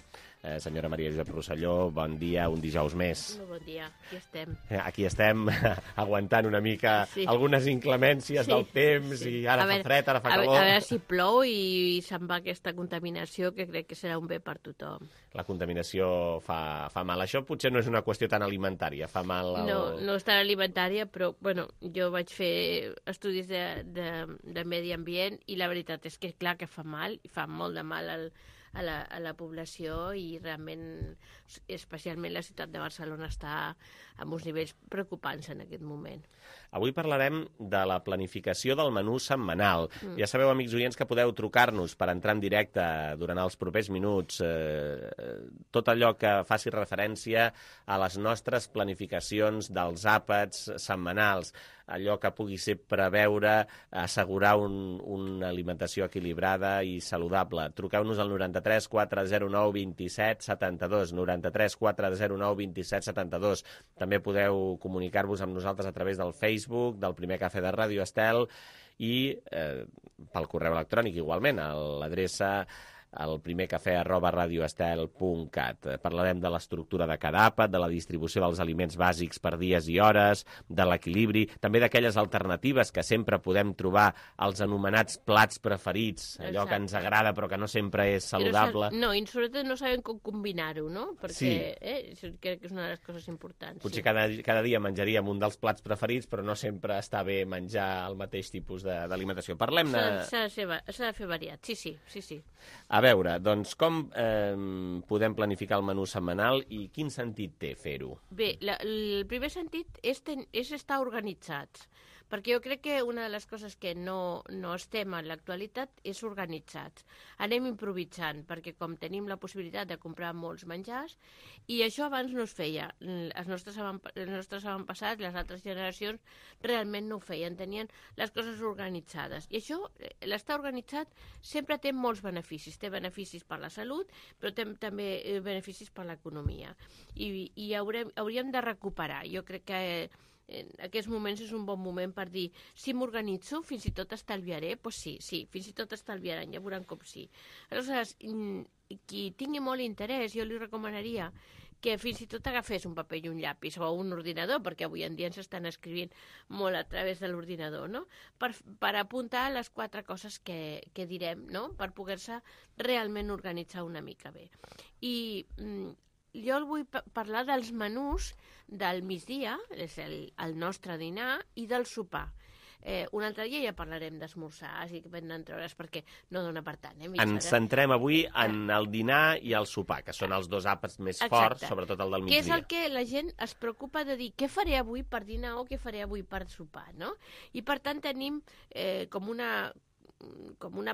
Senyora Maria Josep Rosselló, bon dia, un dijous més. Bon dia, aquí estem. Aquí estem, aguantant una mica algunes inclemències del temps, i ara fa fred, ara fa calor. A veure si plou i se'n va aquesta contaminació, que crec que serà un bé per tothom. La contaminació fa mal. Això potser no és una qüestió tan alimentària, fa mal... No és tan alimentària, però bueno, jo vaig fer estudis de medi ambient i la veritat és que clar que fa mal, i fa molt de mal a la població, i realment, especialment la ciutat de Barcelona està amb uns nivells preocupants en aquest moment. Avui parlarem de la planificació del menú setmanal. Ja sabeu, amics oients, que podeu trucar-nos per entrar en directe durant els propers minuts. Tot allò que faci referència a les nostres planificacions dels àpats setmanals, allò que pugui ser preveure, assegurar una alimentació equilibrada i saludable. Truqueu-nos al 93 409 27 72, 93 409 27 72. També podeu comunicar-vos amb nosaltres a través del Facebook, del Primer Cafè de Ràdio Estel, i pel correu electrònic igualment, a l'adreça elprimercafè@radioestel.cat. Parlarem de l'estructura de cada àpat, de la distribució dels aliments bàsics per dies i hores, de l'equilibri, també d'aquelles alternatives que sempre podem trobar, els anomenats plats preferits, allò que ens agrada però que no sempre és saludable. No, i sobretot no sabem com combinar-ho, no? Perquè crec que és una de les coses importants. Potser cada dia menjaríem un dels plats preferits, però no sempre està bé menjar el mateix tipus d'alimentació. Parlem-ne... S'ha de fer variat, sí. A veure, doncs, com podem planificar el menú setmanal i quin sentit té fer-ho? Bé, el primer sentit és estar organitzats, perquè jo crec que una de les coses que no estem en l'actualitat és organitzats. Anem improvisant, perquè com tenim la possibilitat de comprar molts menjars, i això abans no es feia. Els nostres avantpassats, les altres generacions, realment no ho feien, tenien les coses organitzades. I això, l'estar organitzat, sempre té molts beneficis. Té beneficis per la salut, però té també beneficis per l'economia. I hauríem de recuperar. Jo crec que en aquests moments és un bon moment per dir, si m'organitzo, fins i tot estalviaré? Doncs sí, fins i tot estalviaran, ja veuran com sí. Aleshores, qui tingui molt interès, jo li recomanaria que fins i tot agafés un paper i un llapis o un ordinador, perquè avui en dia ens estan escrivint molt a través de l'ordinador, no? Per apuntar les 4 coses que direm, no? Per poder-se realment organitzar una mica bé. I jo el vull parlar dels menús del migdia, és el nostre dinar, i del sopar. Un altre dia ja parlarem d'esmorzar, així que venen treures perquè no dona per tant. Ens centrem avui en el dinar i el sopar, que són els dos àpats més forts, sobretot el del migdia. Que és el que la gent es preocupa de dir què faré avui per dinar o què faré avui per sopar, no? I per tant tenim com una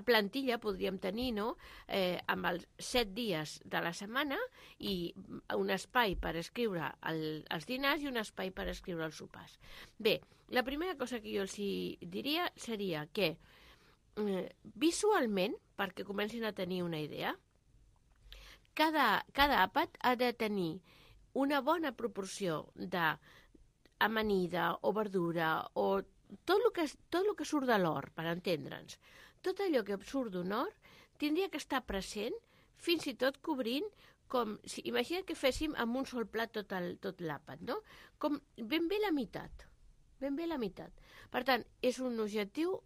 plantilla, podríem tenir, no? Amb els 7 dies de la setmana i un espai per escriure els dinars i un espai per escriure els sopars. Bé, la primera cosa que jo els diria seria que visualment, perquè comencin a tenir una idea, cada àpat ha de tenir una bona proporció d'amanida o verdura o tot el que surt de l'hort, per entendre'ns. Tot allò que surt d'un hort tindria que estar present, fins i tot cobrint, imagina't que féssim amb un sol plat tot l'àpat, no? Com ben bé la meitat. Per tant, és un objectiu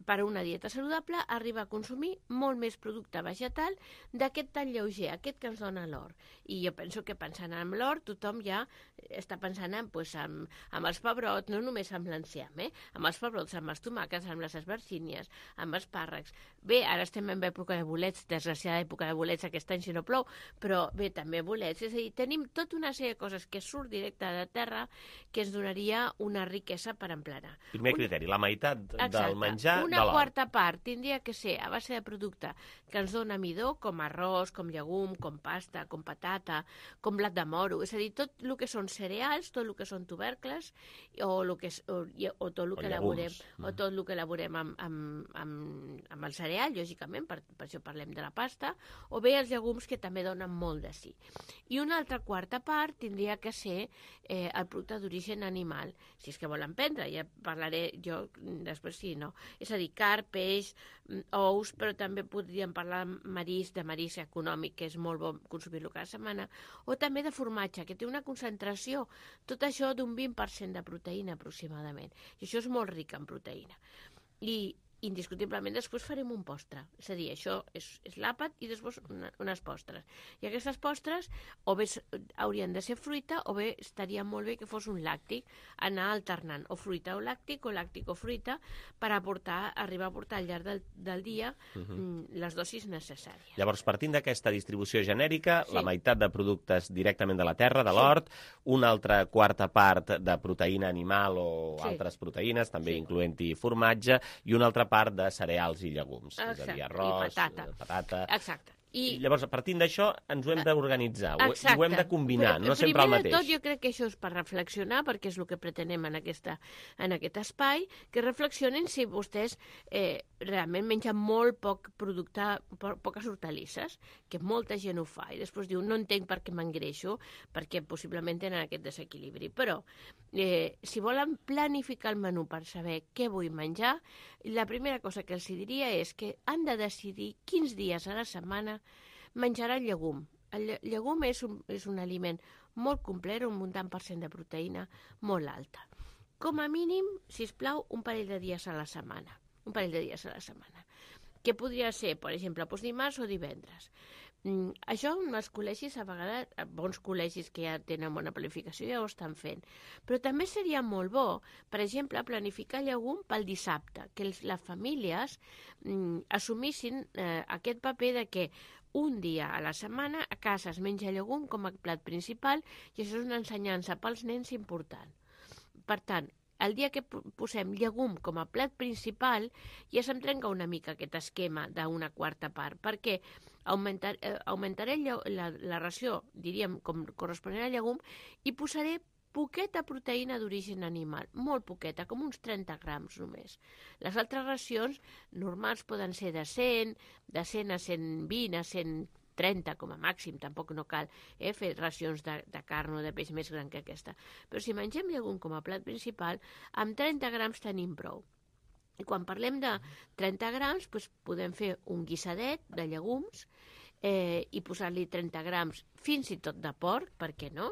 per a una dieta saludable, arribar a consumir molt més producte vegetal d'aquest tan lleuger, aquest que ens dona l'hort. I jo penso que pensant en l'hort, tothom ja està pensant en els pebrots, no només amb l'enciam, amb els pebrots, amb els tomàquets, amb les esbarcínies, amb espàrrecs. Bé, ara estem en època de bolets, desgraciada època de bolets aquest any si no plou, però bé, també bolets. És a dir, tenim tota una sèrie de coses que surt directe de terra que ens donaria una riquesa per emplenar. Primer criteri, la meitat del menjar una quarta part tindria que ser a base de producte que ens dona midó, com arròs, com llegum, com pasta, com patata, com blat de moro. És a dir, tot el que són cereals, tot el que són tubercles, o tot el que elaborem amb el cereal, lògicament, per això parlem de la pasta, o bé els llegums, que també donen molt de sí. I una altra quarta part tindria que ser el producte d'origen animal, si és que volen prendre, ja parlaré jo després sí, no. És a dir, carn, peix, ous, però també podríem parlar de marisc econòmic, que és molt bo consumir-lo cada setmana, o també de formatge, que té una concentració, tot això d'un 20% de proteïna aproximadament, i això és molt ric en proteïna. I indiscutiblement després farem un postre, és a dir, això és l'àpat i després unes postres. I aquestes postres o bé haurien de ser fruita o bé estaria molt bé que fos un làctic, anar alternant o fruita o làctic o fruita per arribar a portar al llarg del dia les dosis necessàries. Llavors, partint d'aquesta distribució genèrica, la meitat de productes directament de la terra, de l'hort, una altra quarta part de proteïna animal o altres proteïnes, també incloent-hi formatge, i una altra part de cereals i llegums, és a dir, arròs, patata... Exacte. I llavors, partint d'això, ens ho hem d'organitzar, ho hem de combinar, no sempre el mateix. Primer de tot, jo crec que això és per reflexionar, perquè és el que pretenem en aquest espai, que reflexionin si vostès realment mengen molt poc producte, poques hortalisses, que molta gent ho fa, i després diu, no entenc per què m'engreixo, perquè possiblement tenen aquest desequilibri. Però, si volen planificar el menú per saber què vull menjar, la primera cosa que els diria és que han de decidir quins dies a la setmana menjarà el llegum. El llegum és un aliment molt complet, un tant per cent de proteïna molt alta. Com a mínim, sisplau, un parell de dies a la setmana. Que podria ser, per exemple, dimarts o divendres. Això en els col·legis, a vegades, bons col·legis que ja tenen bona planificació ja ho estan fent. Però també seria molt bo, per exemple, planificar llegum pel dissabte, que les famílies assumissin aquest paper de que un dia a la setmana a casa es menja llegum com a plat principal, i això és una ensenyança pels nens important. Per tant, el dia que posem llegum com a plat principal ja se'm trenca una mica aquest esquema d'una quarta part, perquè augmentaré la ració, diríem, com corresponent al llegum, i posaré poqueta proteïna d'origen animal, molt poqueta, com uns 30 grams només. Les altres racions normals poden ser de 100 a 120, a 130 com a màxim, tampoc no cal fer racions de carn o de peix més gran que aquesta. Però si mengem llegum com a plat principal, amb 30 grams tenim prou. I quan parlem de 30 grams, podem fer un guisadet de llegums i posar-li 30 grams fins i tot de porc, per què no?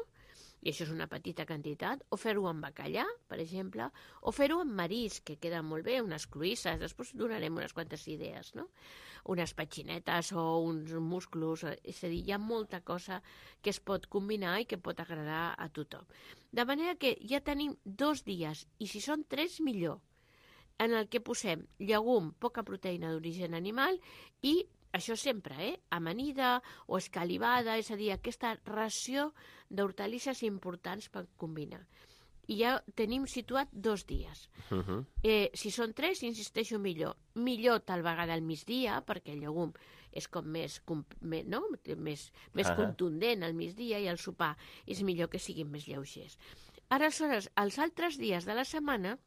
I això és una petita quantitat, o fer-ho amb bacallà, per exemple, o fer-ho amb marisc, que queda molt bé, unes cloïsses, després donarem unes quantes idees, no? Unes petxinetes o uns musclos, és a dir, hi ha molta cosa que es pot combinar i que pot agradar a tothom. De manera que ja tenim 2 dies, i si són 3, millor, en el que posem llegum, poca proteïna d'origen animal i això sempre, amanida o escalivada, és a dir, aquesta ració d'hortalisses importants per combinar. I ja tenim situat 2 dies. Si són 3, insisteixo millor. Millor tal vegada al migdia, perquè el llegum és com més contundent al migdia, i al sopar és millor que siguin més lleugers. Aleshores, els altres dies de la setmana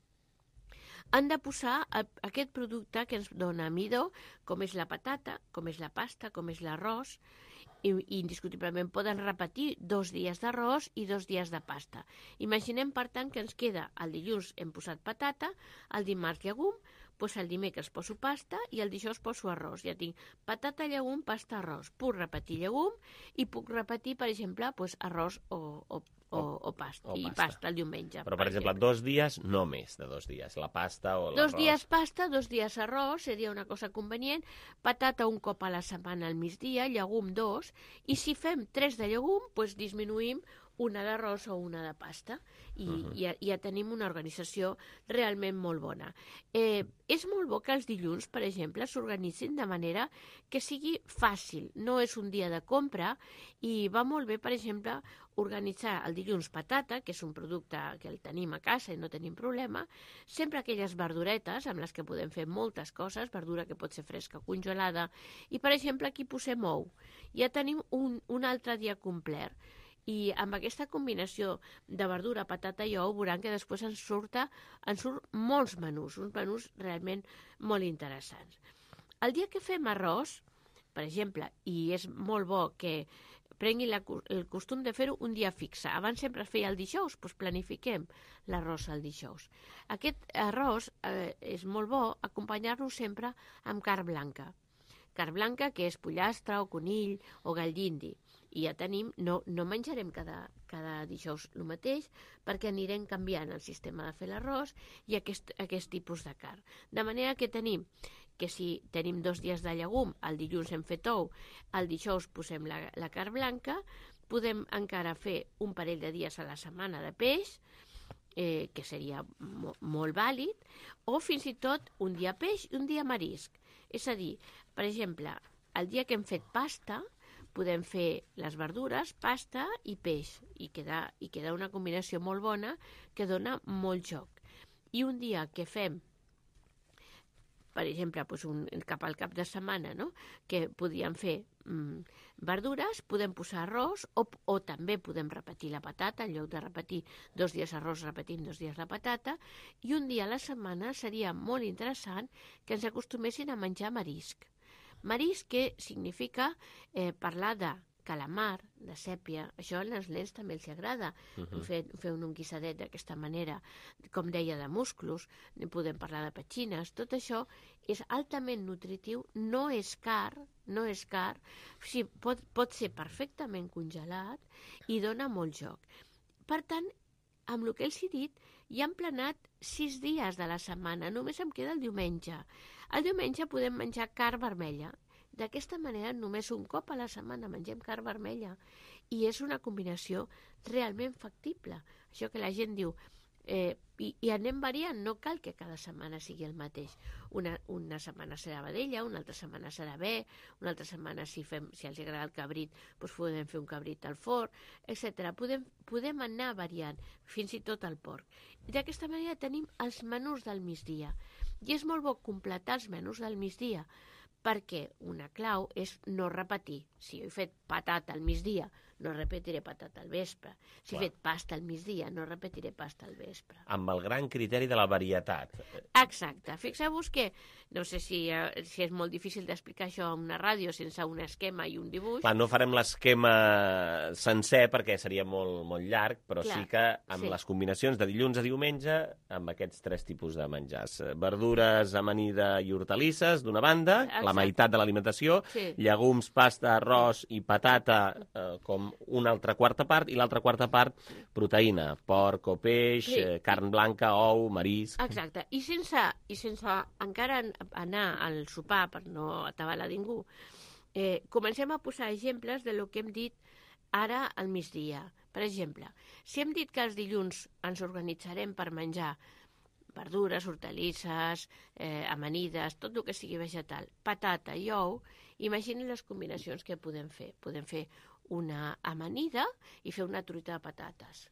han de posar aquest producte que ens dona midó, com és la patata, com és la pasta, com és l'arròs, i indiscutiblement poden repetir 2 dies d'arròs i 2 dies de pasta. Imaginem, per tant, que ens queda el dilluns hem posat patata, el dimarts llegum, doncs el dimecres poso pasta i el dijous poso arròs. Ja tinc patata, llegum, pasta, arròs. Puc repetir llegum i puc repetir, per exemple, arròs o pasta, i pasta el diumenge. Però, per exemple, 2 dies, no més de 2 dies, la pasta o l'arròs. 2 dies pasta, 2 dies arròs, seria una cosa convenient, patata un cop a la setmana al migdia, llegum 2, i si fem 3 de llegum, doncs disminuïm una d'arròs o una de pasta, i ja tenim una organització realment molt bona. És molt bo que els dilluns, per exemple, s'organitzin de manera que sigui fàcil. No és un dia de compra, i va molt bé, per exemple, organitzar el dilluns patata, que és un producte que el tenim a casa i no tenim problema, sempre aquelles verduretes amb les que podem fer moltes coses, verdura que pot ser fresca o congelada, i per exemple aquí posem ou. Ja tenim un altre dia complet. I amb aquesta combinació de verdura, patata i ou veuran que després ens surt molts menús, uns menús realment molt interessants. El dia que fem arròs, per exemple, i és molt bo que prenguin el costum de fer-ho un dia fixe. Abans sempre es feia el dijous, doncs planifiquem l'arròs el dijous. Aquest arròs és molt bo acompanyar-lo sempre amb carn blanca. Carn blanca que és pollastre o conill o gall d'indi. I ja tenim, no menjarem cada dijous el mateix perquè anirem canviant el sistema de fer l'arròs i aquest tipus de carn. De manera que tenim que si tenim 2 dies de llegum, el dilluns hem fet ou, el dijous posem la carn blanca, podem encara fer un parell de dies a la setmana de peix, que seria molt vàlid, o fins i tot un dia peix i un dia marisc. És a dir, per exemple, el dia que hem fet pasta, podem fer les verdures, pasta i peix, i queda una combinació molt bona que dona molt joc. I un dia que fem, per exemple, cap al cap de setmana, que podíem fer verdures, podem posar arròs o també podem repetir la patata, en lloc de repetir 2 dies arròs, repetim 2 dies la patata, i un dia a la setmana seria molt interessant que ens acostumessin a menjar marisc. Marisc que significa parlar de calamar, de sèpia, això als nens també els agrada, fer un guisadet d'aquesta manera, com deia, de musclos, podem parlar de petxines, tot això és altament nutritiu, no és car, sí, pot ser perfectament congelat i dona molt joc. Per tant, amb el que els he dit, ja hem planat 6 dies de la setmana, només em queda el diumenge. El diumenge podem menjar carn vermella. D'aquesta manera, només un cop a la setmana mengem carn vermella i és una combinació realment factible. Això que la gent diu, i anem variant, no cal que cada setmana sigui el mateix. Una setmana serà vedella, una altra setmana serà bé, una altra setmana, si els agrada el cabrit, doncs podem fer un cabrit al forn, etc. Podem anar variant, fins i tot el porc. I d'aquesta manera tenim els menús del migdia. I és molt bo completar els menús del migdia, perquè una clau és no repetir. Si jo he fet patata al migdia, no repetiré patata al vespre. Si he fet pasta al migdia, no repetiré pasta al vespre. Amb el gran criteri de la varietat. Exacte. Fixeu-vos que, no sé si és molt difícil d'explicar això a una ràdio sense un esquema i un dibuix. Clar, no farem l'esquema sencer perquè seria molt llarg, però sí que amb les combinacions de dilluns a diumenge, amb aquests 3 tipus de menjars. Verdures, amanida i hortalisses, d'una banda, la meitat de l'alimentació, llegums, pasta, arròs i patata com una altra quarta part, i l'altra quarta part, proteïna, porc o peix, carn blanca, ou, marisc... Exacte, i sense encara anar al sopar per no atabalar ningú, comencem a posar exemples de lo que hem dit ara al migdia. Per exemple, si hem dit que els dilluns ens organitzarem per menjar verdures, hortalisses, amanides, tot el que sigui vegetal, patata i ou, imaginin les combinacions que podem fer. Podem fer una amanida i fer una truita de patates.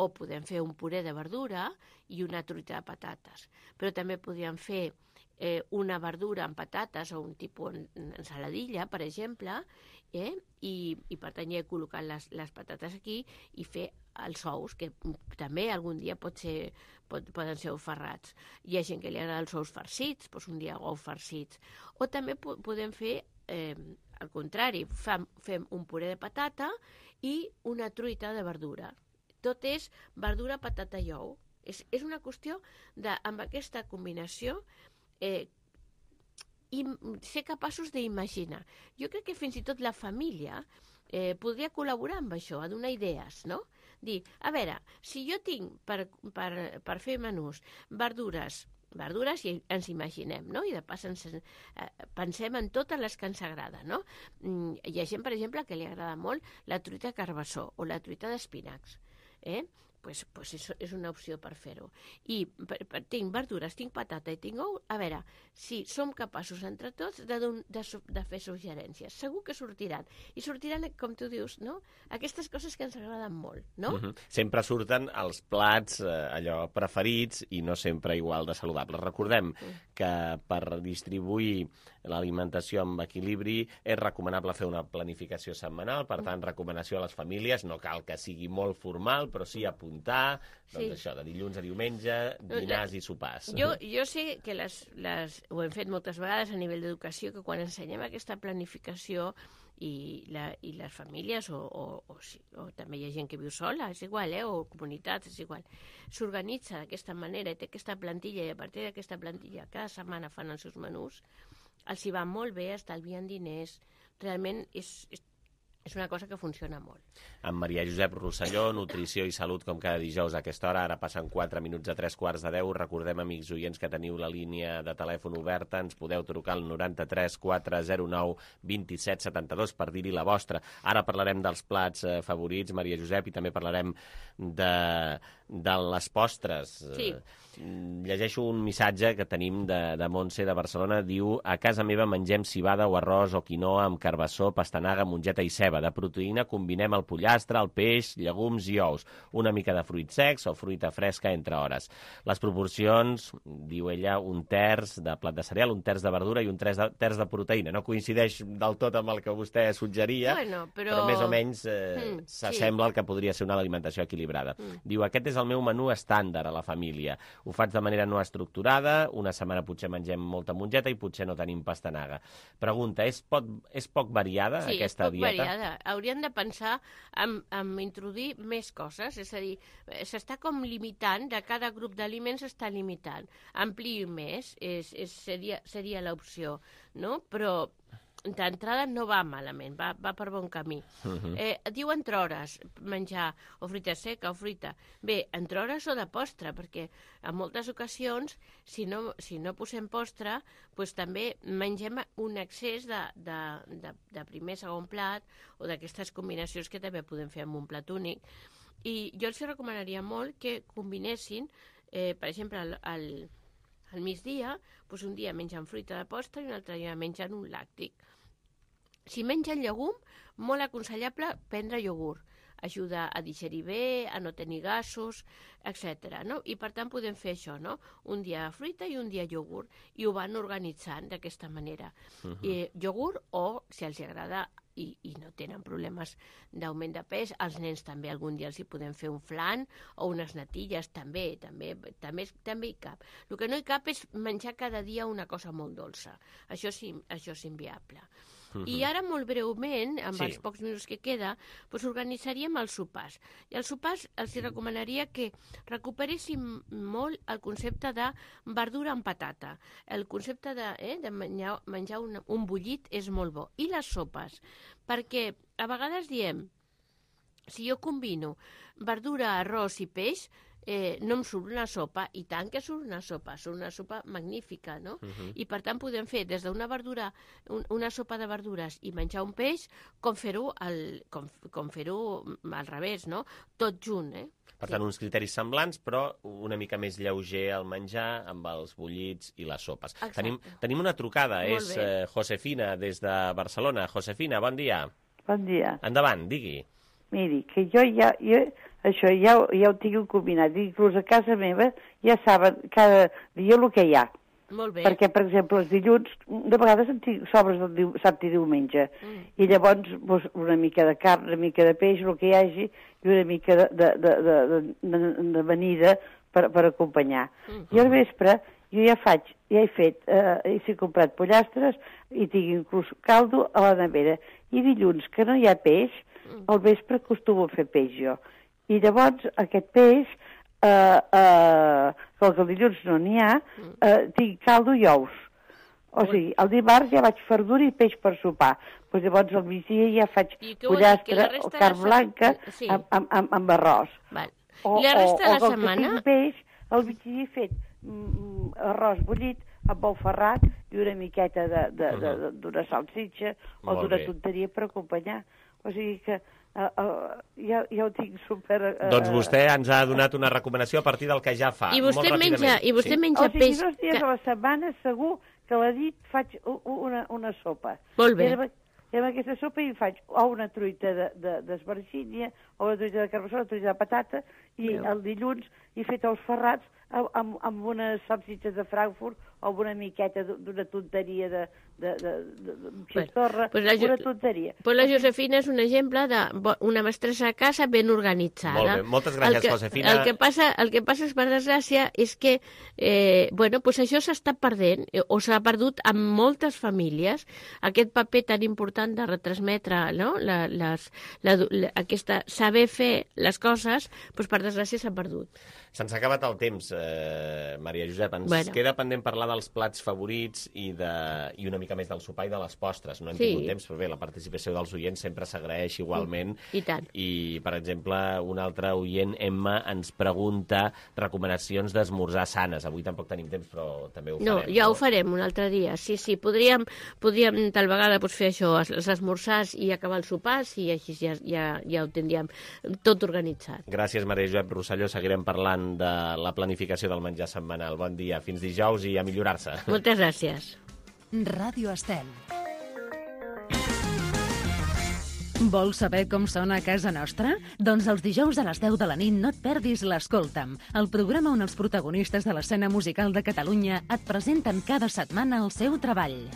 O podem fer un puré de verdura i una truita de patates. Però també podríem fer una verdura amb patates o un tipus ensaladilla, per exemple, i per tant ja he col·locat les patates aquí i fer els ous, que també algun dia poden ser ous ferrats. Hi ha gent que li agrada els ous farcits, doncs un dia ous farcits. O també podem fer al contrari, fem un puré de patata i una truita de verdura. Tot és verdura, patata i ou. És una qüestió de, amb aquesta combinació, ser capaços d'imaginar. Jo crec que fins i tot la família podria col·laborar amb això, a donar idees, no? Dir, a veure, si jo tinc per fer menús verdures i ens imaginem, no? I de pas pensem en totes les que ens agrada, no? Hi ha gent, per exemple, que li agrada molt la truita de carbassó o la truita d'espinacs, és una opció per fer-ho. I tinc verdures, tinc patata i tinc ou. A veure, si som capaços entre tots de fer suggerències, segur que sortiran. I sortiran, com tu dius, no? Aquestes coses que ens agraden molt, no? Sempre surten els plats allò preferits i no sempre igual de saludables. Recordem que per distribuir l'alimentació amb equilibri és recomanable fer una planificació setmanal, per tant, recomanació a les famílies, no cal que sigui molt formal, però sí apuntar, doncs això, de dilluns a diumenge, dinars i sopars. Jo sé que ho hem fet moltes vegades a nivell d'educació, que quan ensenyem aquesta planificació i les famílies, o també hi ha gent que viu sola, és igual, o comunitats, és igual, s'organitza d'aquesta manera i té aquesta plantilla, i a partir d'aquesta plantilla cada setmana fan els seus menús, els hi va molt bé, estalvien diners, realment és una cosa que funciona molt. Amb Maria Josep Rosselló, Nutrició i Salut, com cada dijous a aquesta hora. Ara passen 4 minuts a 3:45. Recordem, amics oients, que teniu la línia de telèfon oberta. Ens podeu trucar al 93 409 27 72 per dir-hi la vostra. Ara parlarem dels plats favorits, Maria Josep, i també parlarem de les postres. Sí. Llegeixo un missatge que tenim de Montse de Barcelona. Diu: a casa meva mengem civada o arròs o quinoa amb carbassó, pastanaga, mongeta i ceba. De proteïna combinem el pollastre, el peix, llegums i ous. Una mica de fruits secs o fruita fresca entre hores. Les proporcions, diu ella, 1/3 de plat de cereal, 1/3 de verdura i 1/3 de proteïna. No coincideix del tot amb el que vostè suggeria, però més o menys s'assembla al que podria ser una alimentació equilibrada. Diu: aquest és el meu menú estàndard a la família. Ho faig de manera no estructurada, una setmana potser mengem molta mongeta i potser no tenim pastanaga. Pregunta, és poc variada aquesta dieta? Sí, és poc variada. Haurien de pensar en introduir més coses, és a dir, s'està com limitant, de cada grup d'aliments s'està limitant. Ampliï més, seria l'opció, no? Però d'entrada no va malament, va per bon camí. Diu entre hores menjar o fruita seca o fruita. Bé, entre hores o de postre, perquè en moltes ocasions, si no posem postre, doncs també mengem un excés de primer, segon plat, o d'aquestes combinacions que també podem fer amb un plat únic. I jo els recomanaria molt que combinessin, per exemple, al migdia, doncs un dia mengen fruita de postre i un altre dia mengen un làctic. Si mengen llegum, molt aconsellable prendre iogurt. Ajuda a digerir bé, a no tenir gasos, etc. No? I per tant podem fer això, no? Un dia fruita i un dia iogurt. I ho van organitzant d'aquesta manera. Iogurt o, si els agrada i no tenen problemes d'augment de pes, als nens també algun dia els hi podem fer un flan o unes natilles, també hi cap. El que no hi cap és menjar cada dia una cosa molt dolça. Això és inviable. I ara, molt breument, amb els pocs minuts que queda, doncs organitzaríem els sopars. I els sopars els recomanaria que recuperessin molt el concepte de verdura amb patata. El concepte de menjar un bullit és molt bo. I les sopes, perquè a vegades diem, si jo combino verdura, arròs i peix, no em surt una sopa, i tant que surt una sopa magnífica, no? I per tant podem fer des d'una verdura, una sopa de verdures i menjar un peix, com fer-ho al revés, no? Tot junt, Per tant, uns criteris semblants, però una mica més lleuger el menjar amb els bullits i les sopes. Tenim una trucada, és Josefina, des de Barcelona. Josefina, bon dia. Bon dia. Endavant, digui. Miri, que jo això ja ho tinc combinat. Inclús a casa meva ja saben cada dia el que hi ha. Molt bé. Perquè, per exemple, els dilluns, de vegades en tinc sobres del dissabte i diumenge. I llavors, doncs, una mica de carn, una mica de peix, el que hi hagi, i una mica d'amanida per acompanyar. I al vespre, jo he comprat pollastres i tinc inclús caldo a la nevera. I dilluns, que no hi ha peix, al vespre acostumo a fer peix jo. I llavors aquest peix, com que el dilluns no n'hi ha, tinc caldo i ous. O sigui, el dimarts ja vaig verdura i peix per sopar. Doncs llavors al migdia ja faig pollastre o carn blanca amb arròs. I la resta de la setmana? O que tinc peix, al migdia he fet arròs bullit amb bou ferrat i una miqueta d'una salsitxa o d'una tonteria per acompanyar. O sigui que ja ho tinc super... Doncs vostè ens ha donat una recomanació a partir del que ja fa. I vostè menja peix... O sigui, 2 dies a la setmana segur que a la nit faig una sopa. Molt bé. I amb aquesta sopa hi faig o una truita d'esbargínia, o una truita de carbassó, una truita de patata, i el dilluns hi he fet els ferrats amb unes salsitxes de Frankfurt o amb una miqueta d'una tonteria de xistorra, una tonteria. Pues la Josefina és un exemple d'una mestressa a casa ben organitzada. Molt bé, moltes gràcies, Josefina. El que passa, per desgràcia, és que això s'està perdent, o s'ha perdut en moltes famílies, aquest paper tan important de retransmetre, no? Saber fer les coses, per desgràcia s'ha perdut. Se'ns ha acabat el temps, Maria Josep. Ens queda pendent parlar dels plats favorits i una mica més del sopar i de les postres. No hem tingut temps, però bé, la participació dels oients sempre s'agraeix igualment. I tant. I, per exemple, un altre oient, Emma, ens pregunta recomanacions d'esmorzar sanes. Avui tampoc tenim temps, però també ho farem. No, ja ho farem un altre dia. Sí, podríem tal vegada fer això, els esmorzars i acabar els sopars, i així ja ho tindríem tot organitzat. Gràcies, Maria Josep Rosselló. Seguirem parlant de la planificació del menjar setmanal. Bon dia, fins dijous i a millorar-se. Moltes gràcies. Ràdio Estel. Vols saber com sona a casa nostra? Doncs els dijous a les 10 de la nit no et perdis l'Escolta'm, el programa on els protagonistes de l'escena musical de Catalunya et presenten cada setmana el seu treball.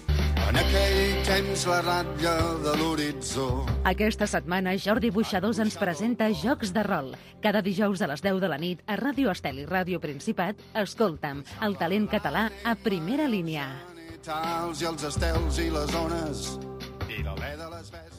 En aquell temps la ratlla de l'horitzó. Aquesta setmana Jordi Buixadors ens presenta Jocs de rol. Cada dijous a les 10 de la nit a Ràdio Estel i Ràdio Principat, Escolta'm, el talent català a primera línia. I els estels i les ones i l'alè de les bèsties.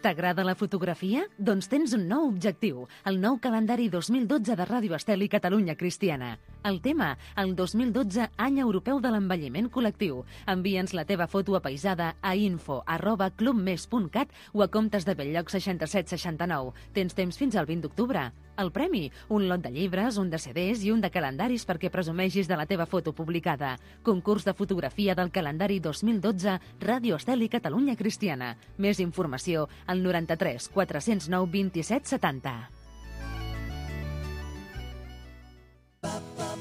T'agrada la fotografia? Doncs tens un nou objectiu, el nou calendari 2012 de Ràdio Estel i Catalunya Cristiana. El tema, el 2012 Any Europeu de l'Envelliment Col·lectiu. Envia'ns la teva foto apaïsada a info@clubmes.cat o a comptes de Belllloc 6769. Tens temps fins al 20 d'octubre. El premi, un lot de llibres, un de CDs i un de calendaris perquè presumeixis de la teva foto publicada. Concurs de fotografia del calendari 2012 Ràdio Estel i Catalunya Cristiana. Més informació al 93 409 27 70.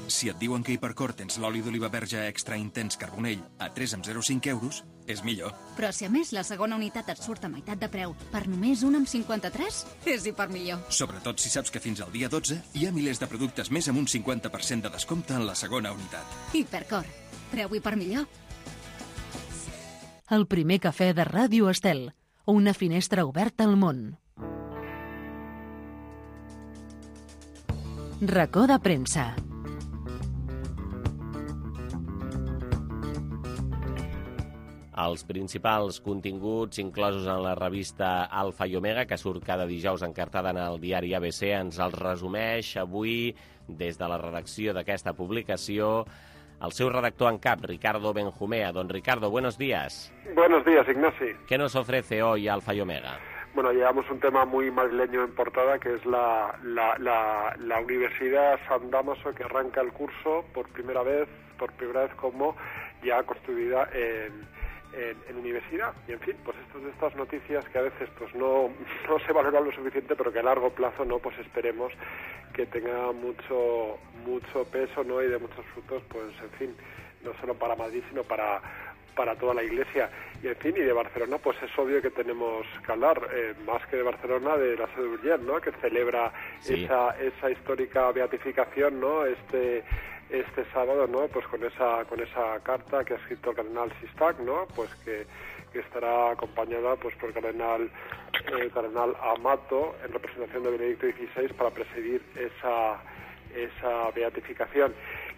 Si et diuen que a Hipercor tens l'oli d'oliva verge extra intens carbonell a 3,05 euros, és millor. Però si a més la segona unitat et surt a meitat de preu per només 1,53, és hipermillor. Sobretot si saps que fins al dia 12 hi ha milers de productes més amb un 50% de descompte en la segona unitat. Hipercor. Preu hipermillor. El primer cafè de Ràdio Estel. Una finestra oberta al món. Racó de premsa. Els principals continguts inclosos en la revista Alfa i Omega, que surt cada dijous encartada en el diari ABC, ens els resumeix avui des de la redacció d'aquesta publicació el seu redactor en cap, Ricardo Benjumea. Don Ricardo, buenos días. Buenos días, Ignasi. ¿Qué nos ofrece hoy Alfa y Omega? Bueno, llevamos un tema muy madrileño en portada, que es la Universidad San Dámaso, que arranca el curso por primera vez como ya constituida en universidad. Y en fin, pues estas noticias que a veces pues no se valoran lo suficiente, pero que a largo plazo no, pues esperemos que tenga mucho peso, ¿no? Y de muchos frutos, pues en fin, no solo para Madrid, sino para toda la Iglesia. Y en fin, y de Barcelona, pues es obvio que tenemos que hablar, más que de Barcelona, de la sede de Urgell, ¿no? Que celebra esa histórica beatificación, ¿no? Este sábado, ¿no? Pues con esa carta que ha escrito el cardenal Sistach, ¿no? Pues que estará acompañada pues por el cardenal Amato en representación de Benedicto XVI para presidir esa beatificación.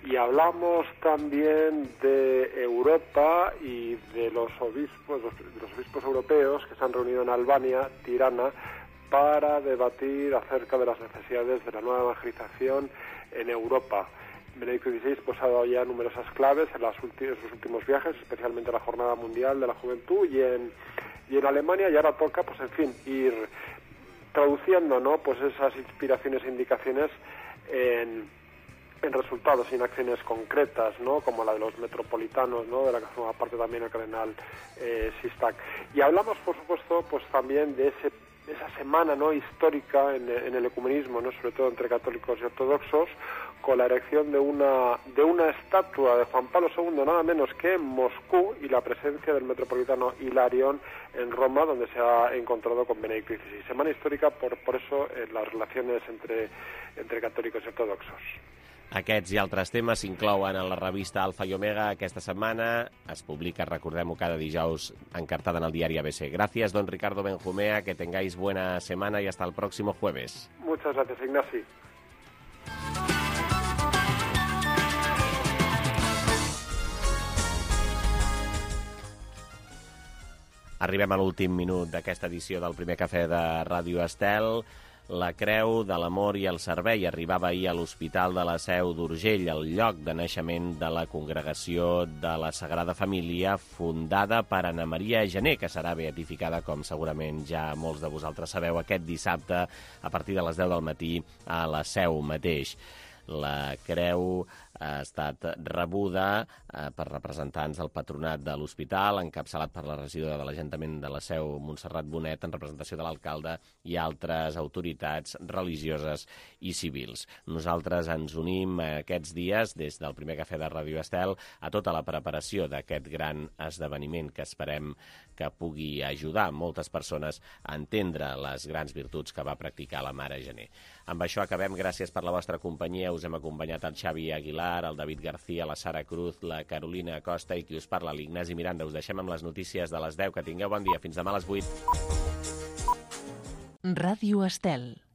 Y hablamos también de Europa y de los obispos europeos que se han reunido en Albania, Tirana, para debatir acerca de las necesidades de la nueva evangelización en Europa. Benedicto XVI pues ha dado ya numerosas claves en sus últimos viajes, especialmente en la Jornada Mundial de la Juventud y en Alemania, y ahora toca, pues en fin, ir traduciendo, ¿no? Pues esas inspiraciones e indicaciones en resultados y en acciones concretas, ¿no? Como la de los metropolitanos, ¿no? De la que forma parte también el cardenal Sistak. Y hablamos, por supuesto, pues también de esa semana, ¿no? Histórica en el ecumenismo, ¿no? Sobre todo entre católicos y ortodoxos, con la erección de una estatua de Juan Pablo II, nada menos que en Moscú, y la presencia del metropolitano Hilarión en Roma, donde se ha encontrado con Benedicto XVI. Semana histórica por eso las relaciones entre católicos y ortodoxos. Aquests i altres temes s'inclouen en la revista Alfa i Omega aquesta setmana. Es publica, recordem-ho, cada dijous encartada en el diari ABC. Gracias, don Ricardo Benjumea, que tengáis buena semana y hasta el próximo jueves. Muchas gracias, Ignasi. Arribem a l'últim minut d'aquesta edició del primer cafè de Ràdio Estel. La Creu de l'Amor i el Servei arribava ahir a l'Hospital de la Seu d'Urgell, el lloc de naixement de la Congregació de la Sagrada Família, fundada per Anna Maria Gené, que serà beatificada, com segurament ja molts de vosaltres sabeu, aquest dissabte a partir de les 10 del matí a la Seu mateix. La Creu ha estat rebuda per representants del patronat de l'hospital, encapçalat per la regidora de l'Ajuntament de la Seu, Montserrat Bonet, en representació de l'alcalde i altres autoritats religioses i civils. Nosaltres ens unim aquests dies, des del primer cafè de Ràdio Estel, a tota la preparació d'aquest gran esdeveniment que esperem que pugui ajudar moltes persones a entendre les grans virtuts que va practicar la Mare Gené. Amb això acabem. Gràcies per la vostra companyia. Us hem acompanyat el Xavi Aguilar, el David García, la Sara Cruz, la Carolina Acosta i qui us parla, l'Ignasi Miranda. Us deixem amb les notícies de les 10. Que tingueu bon dia. Fins demà a les 8. Ràdio Estel.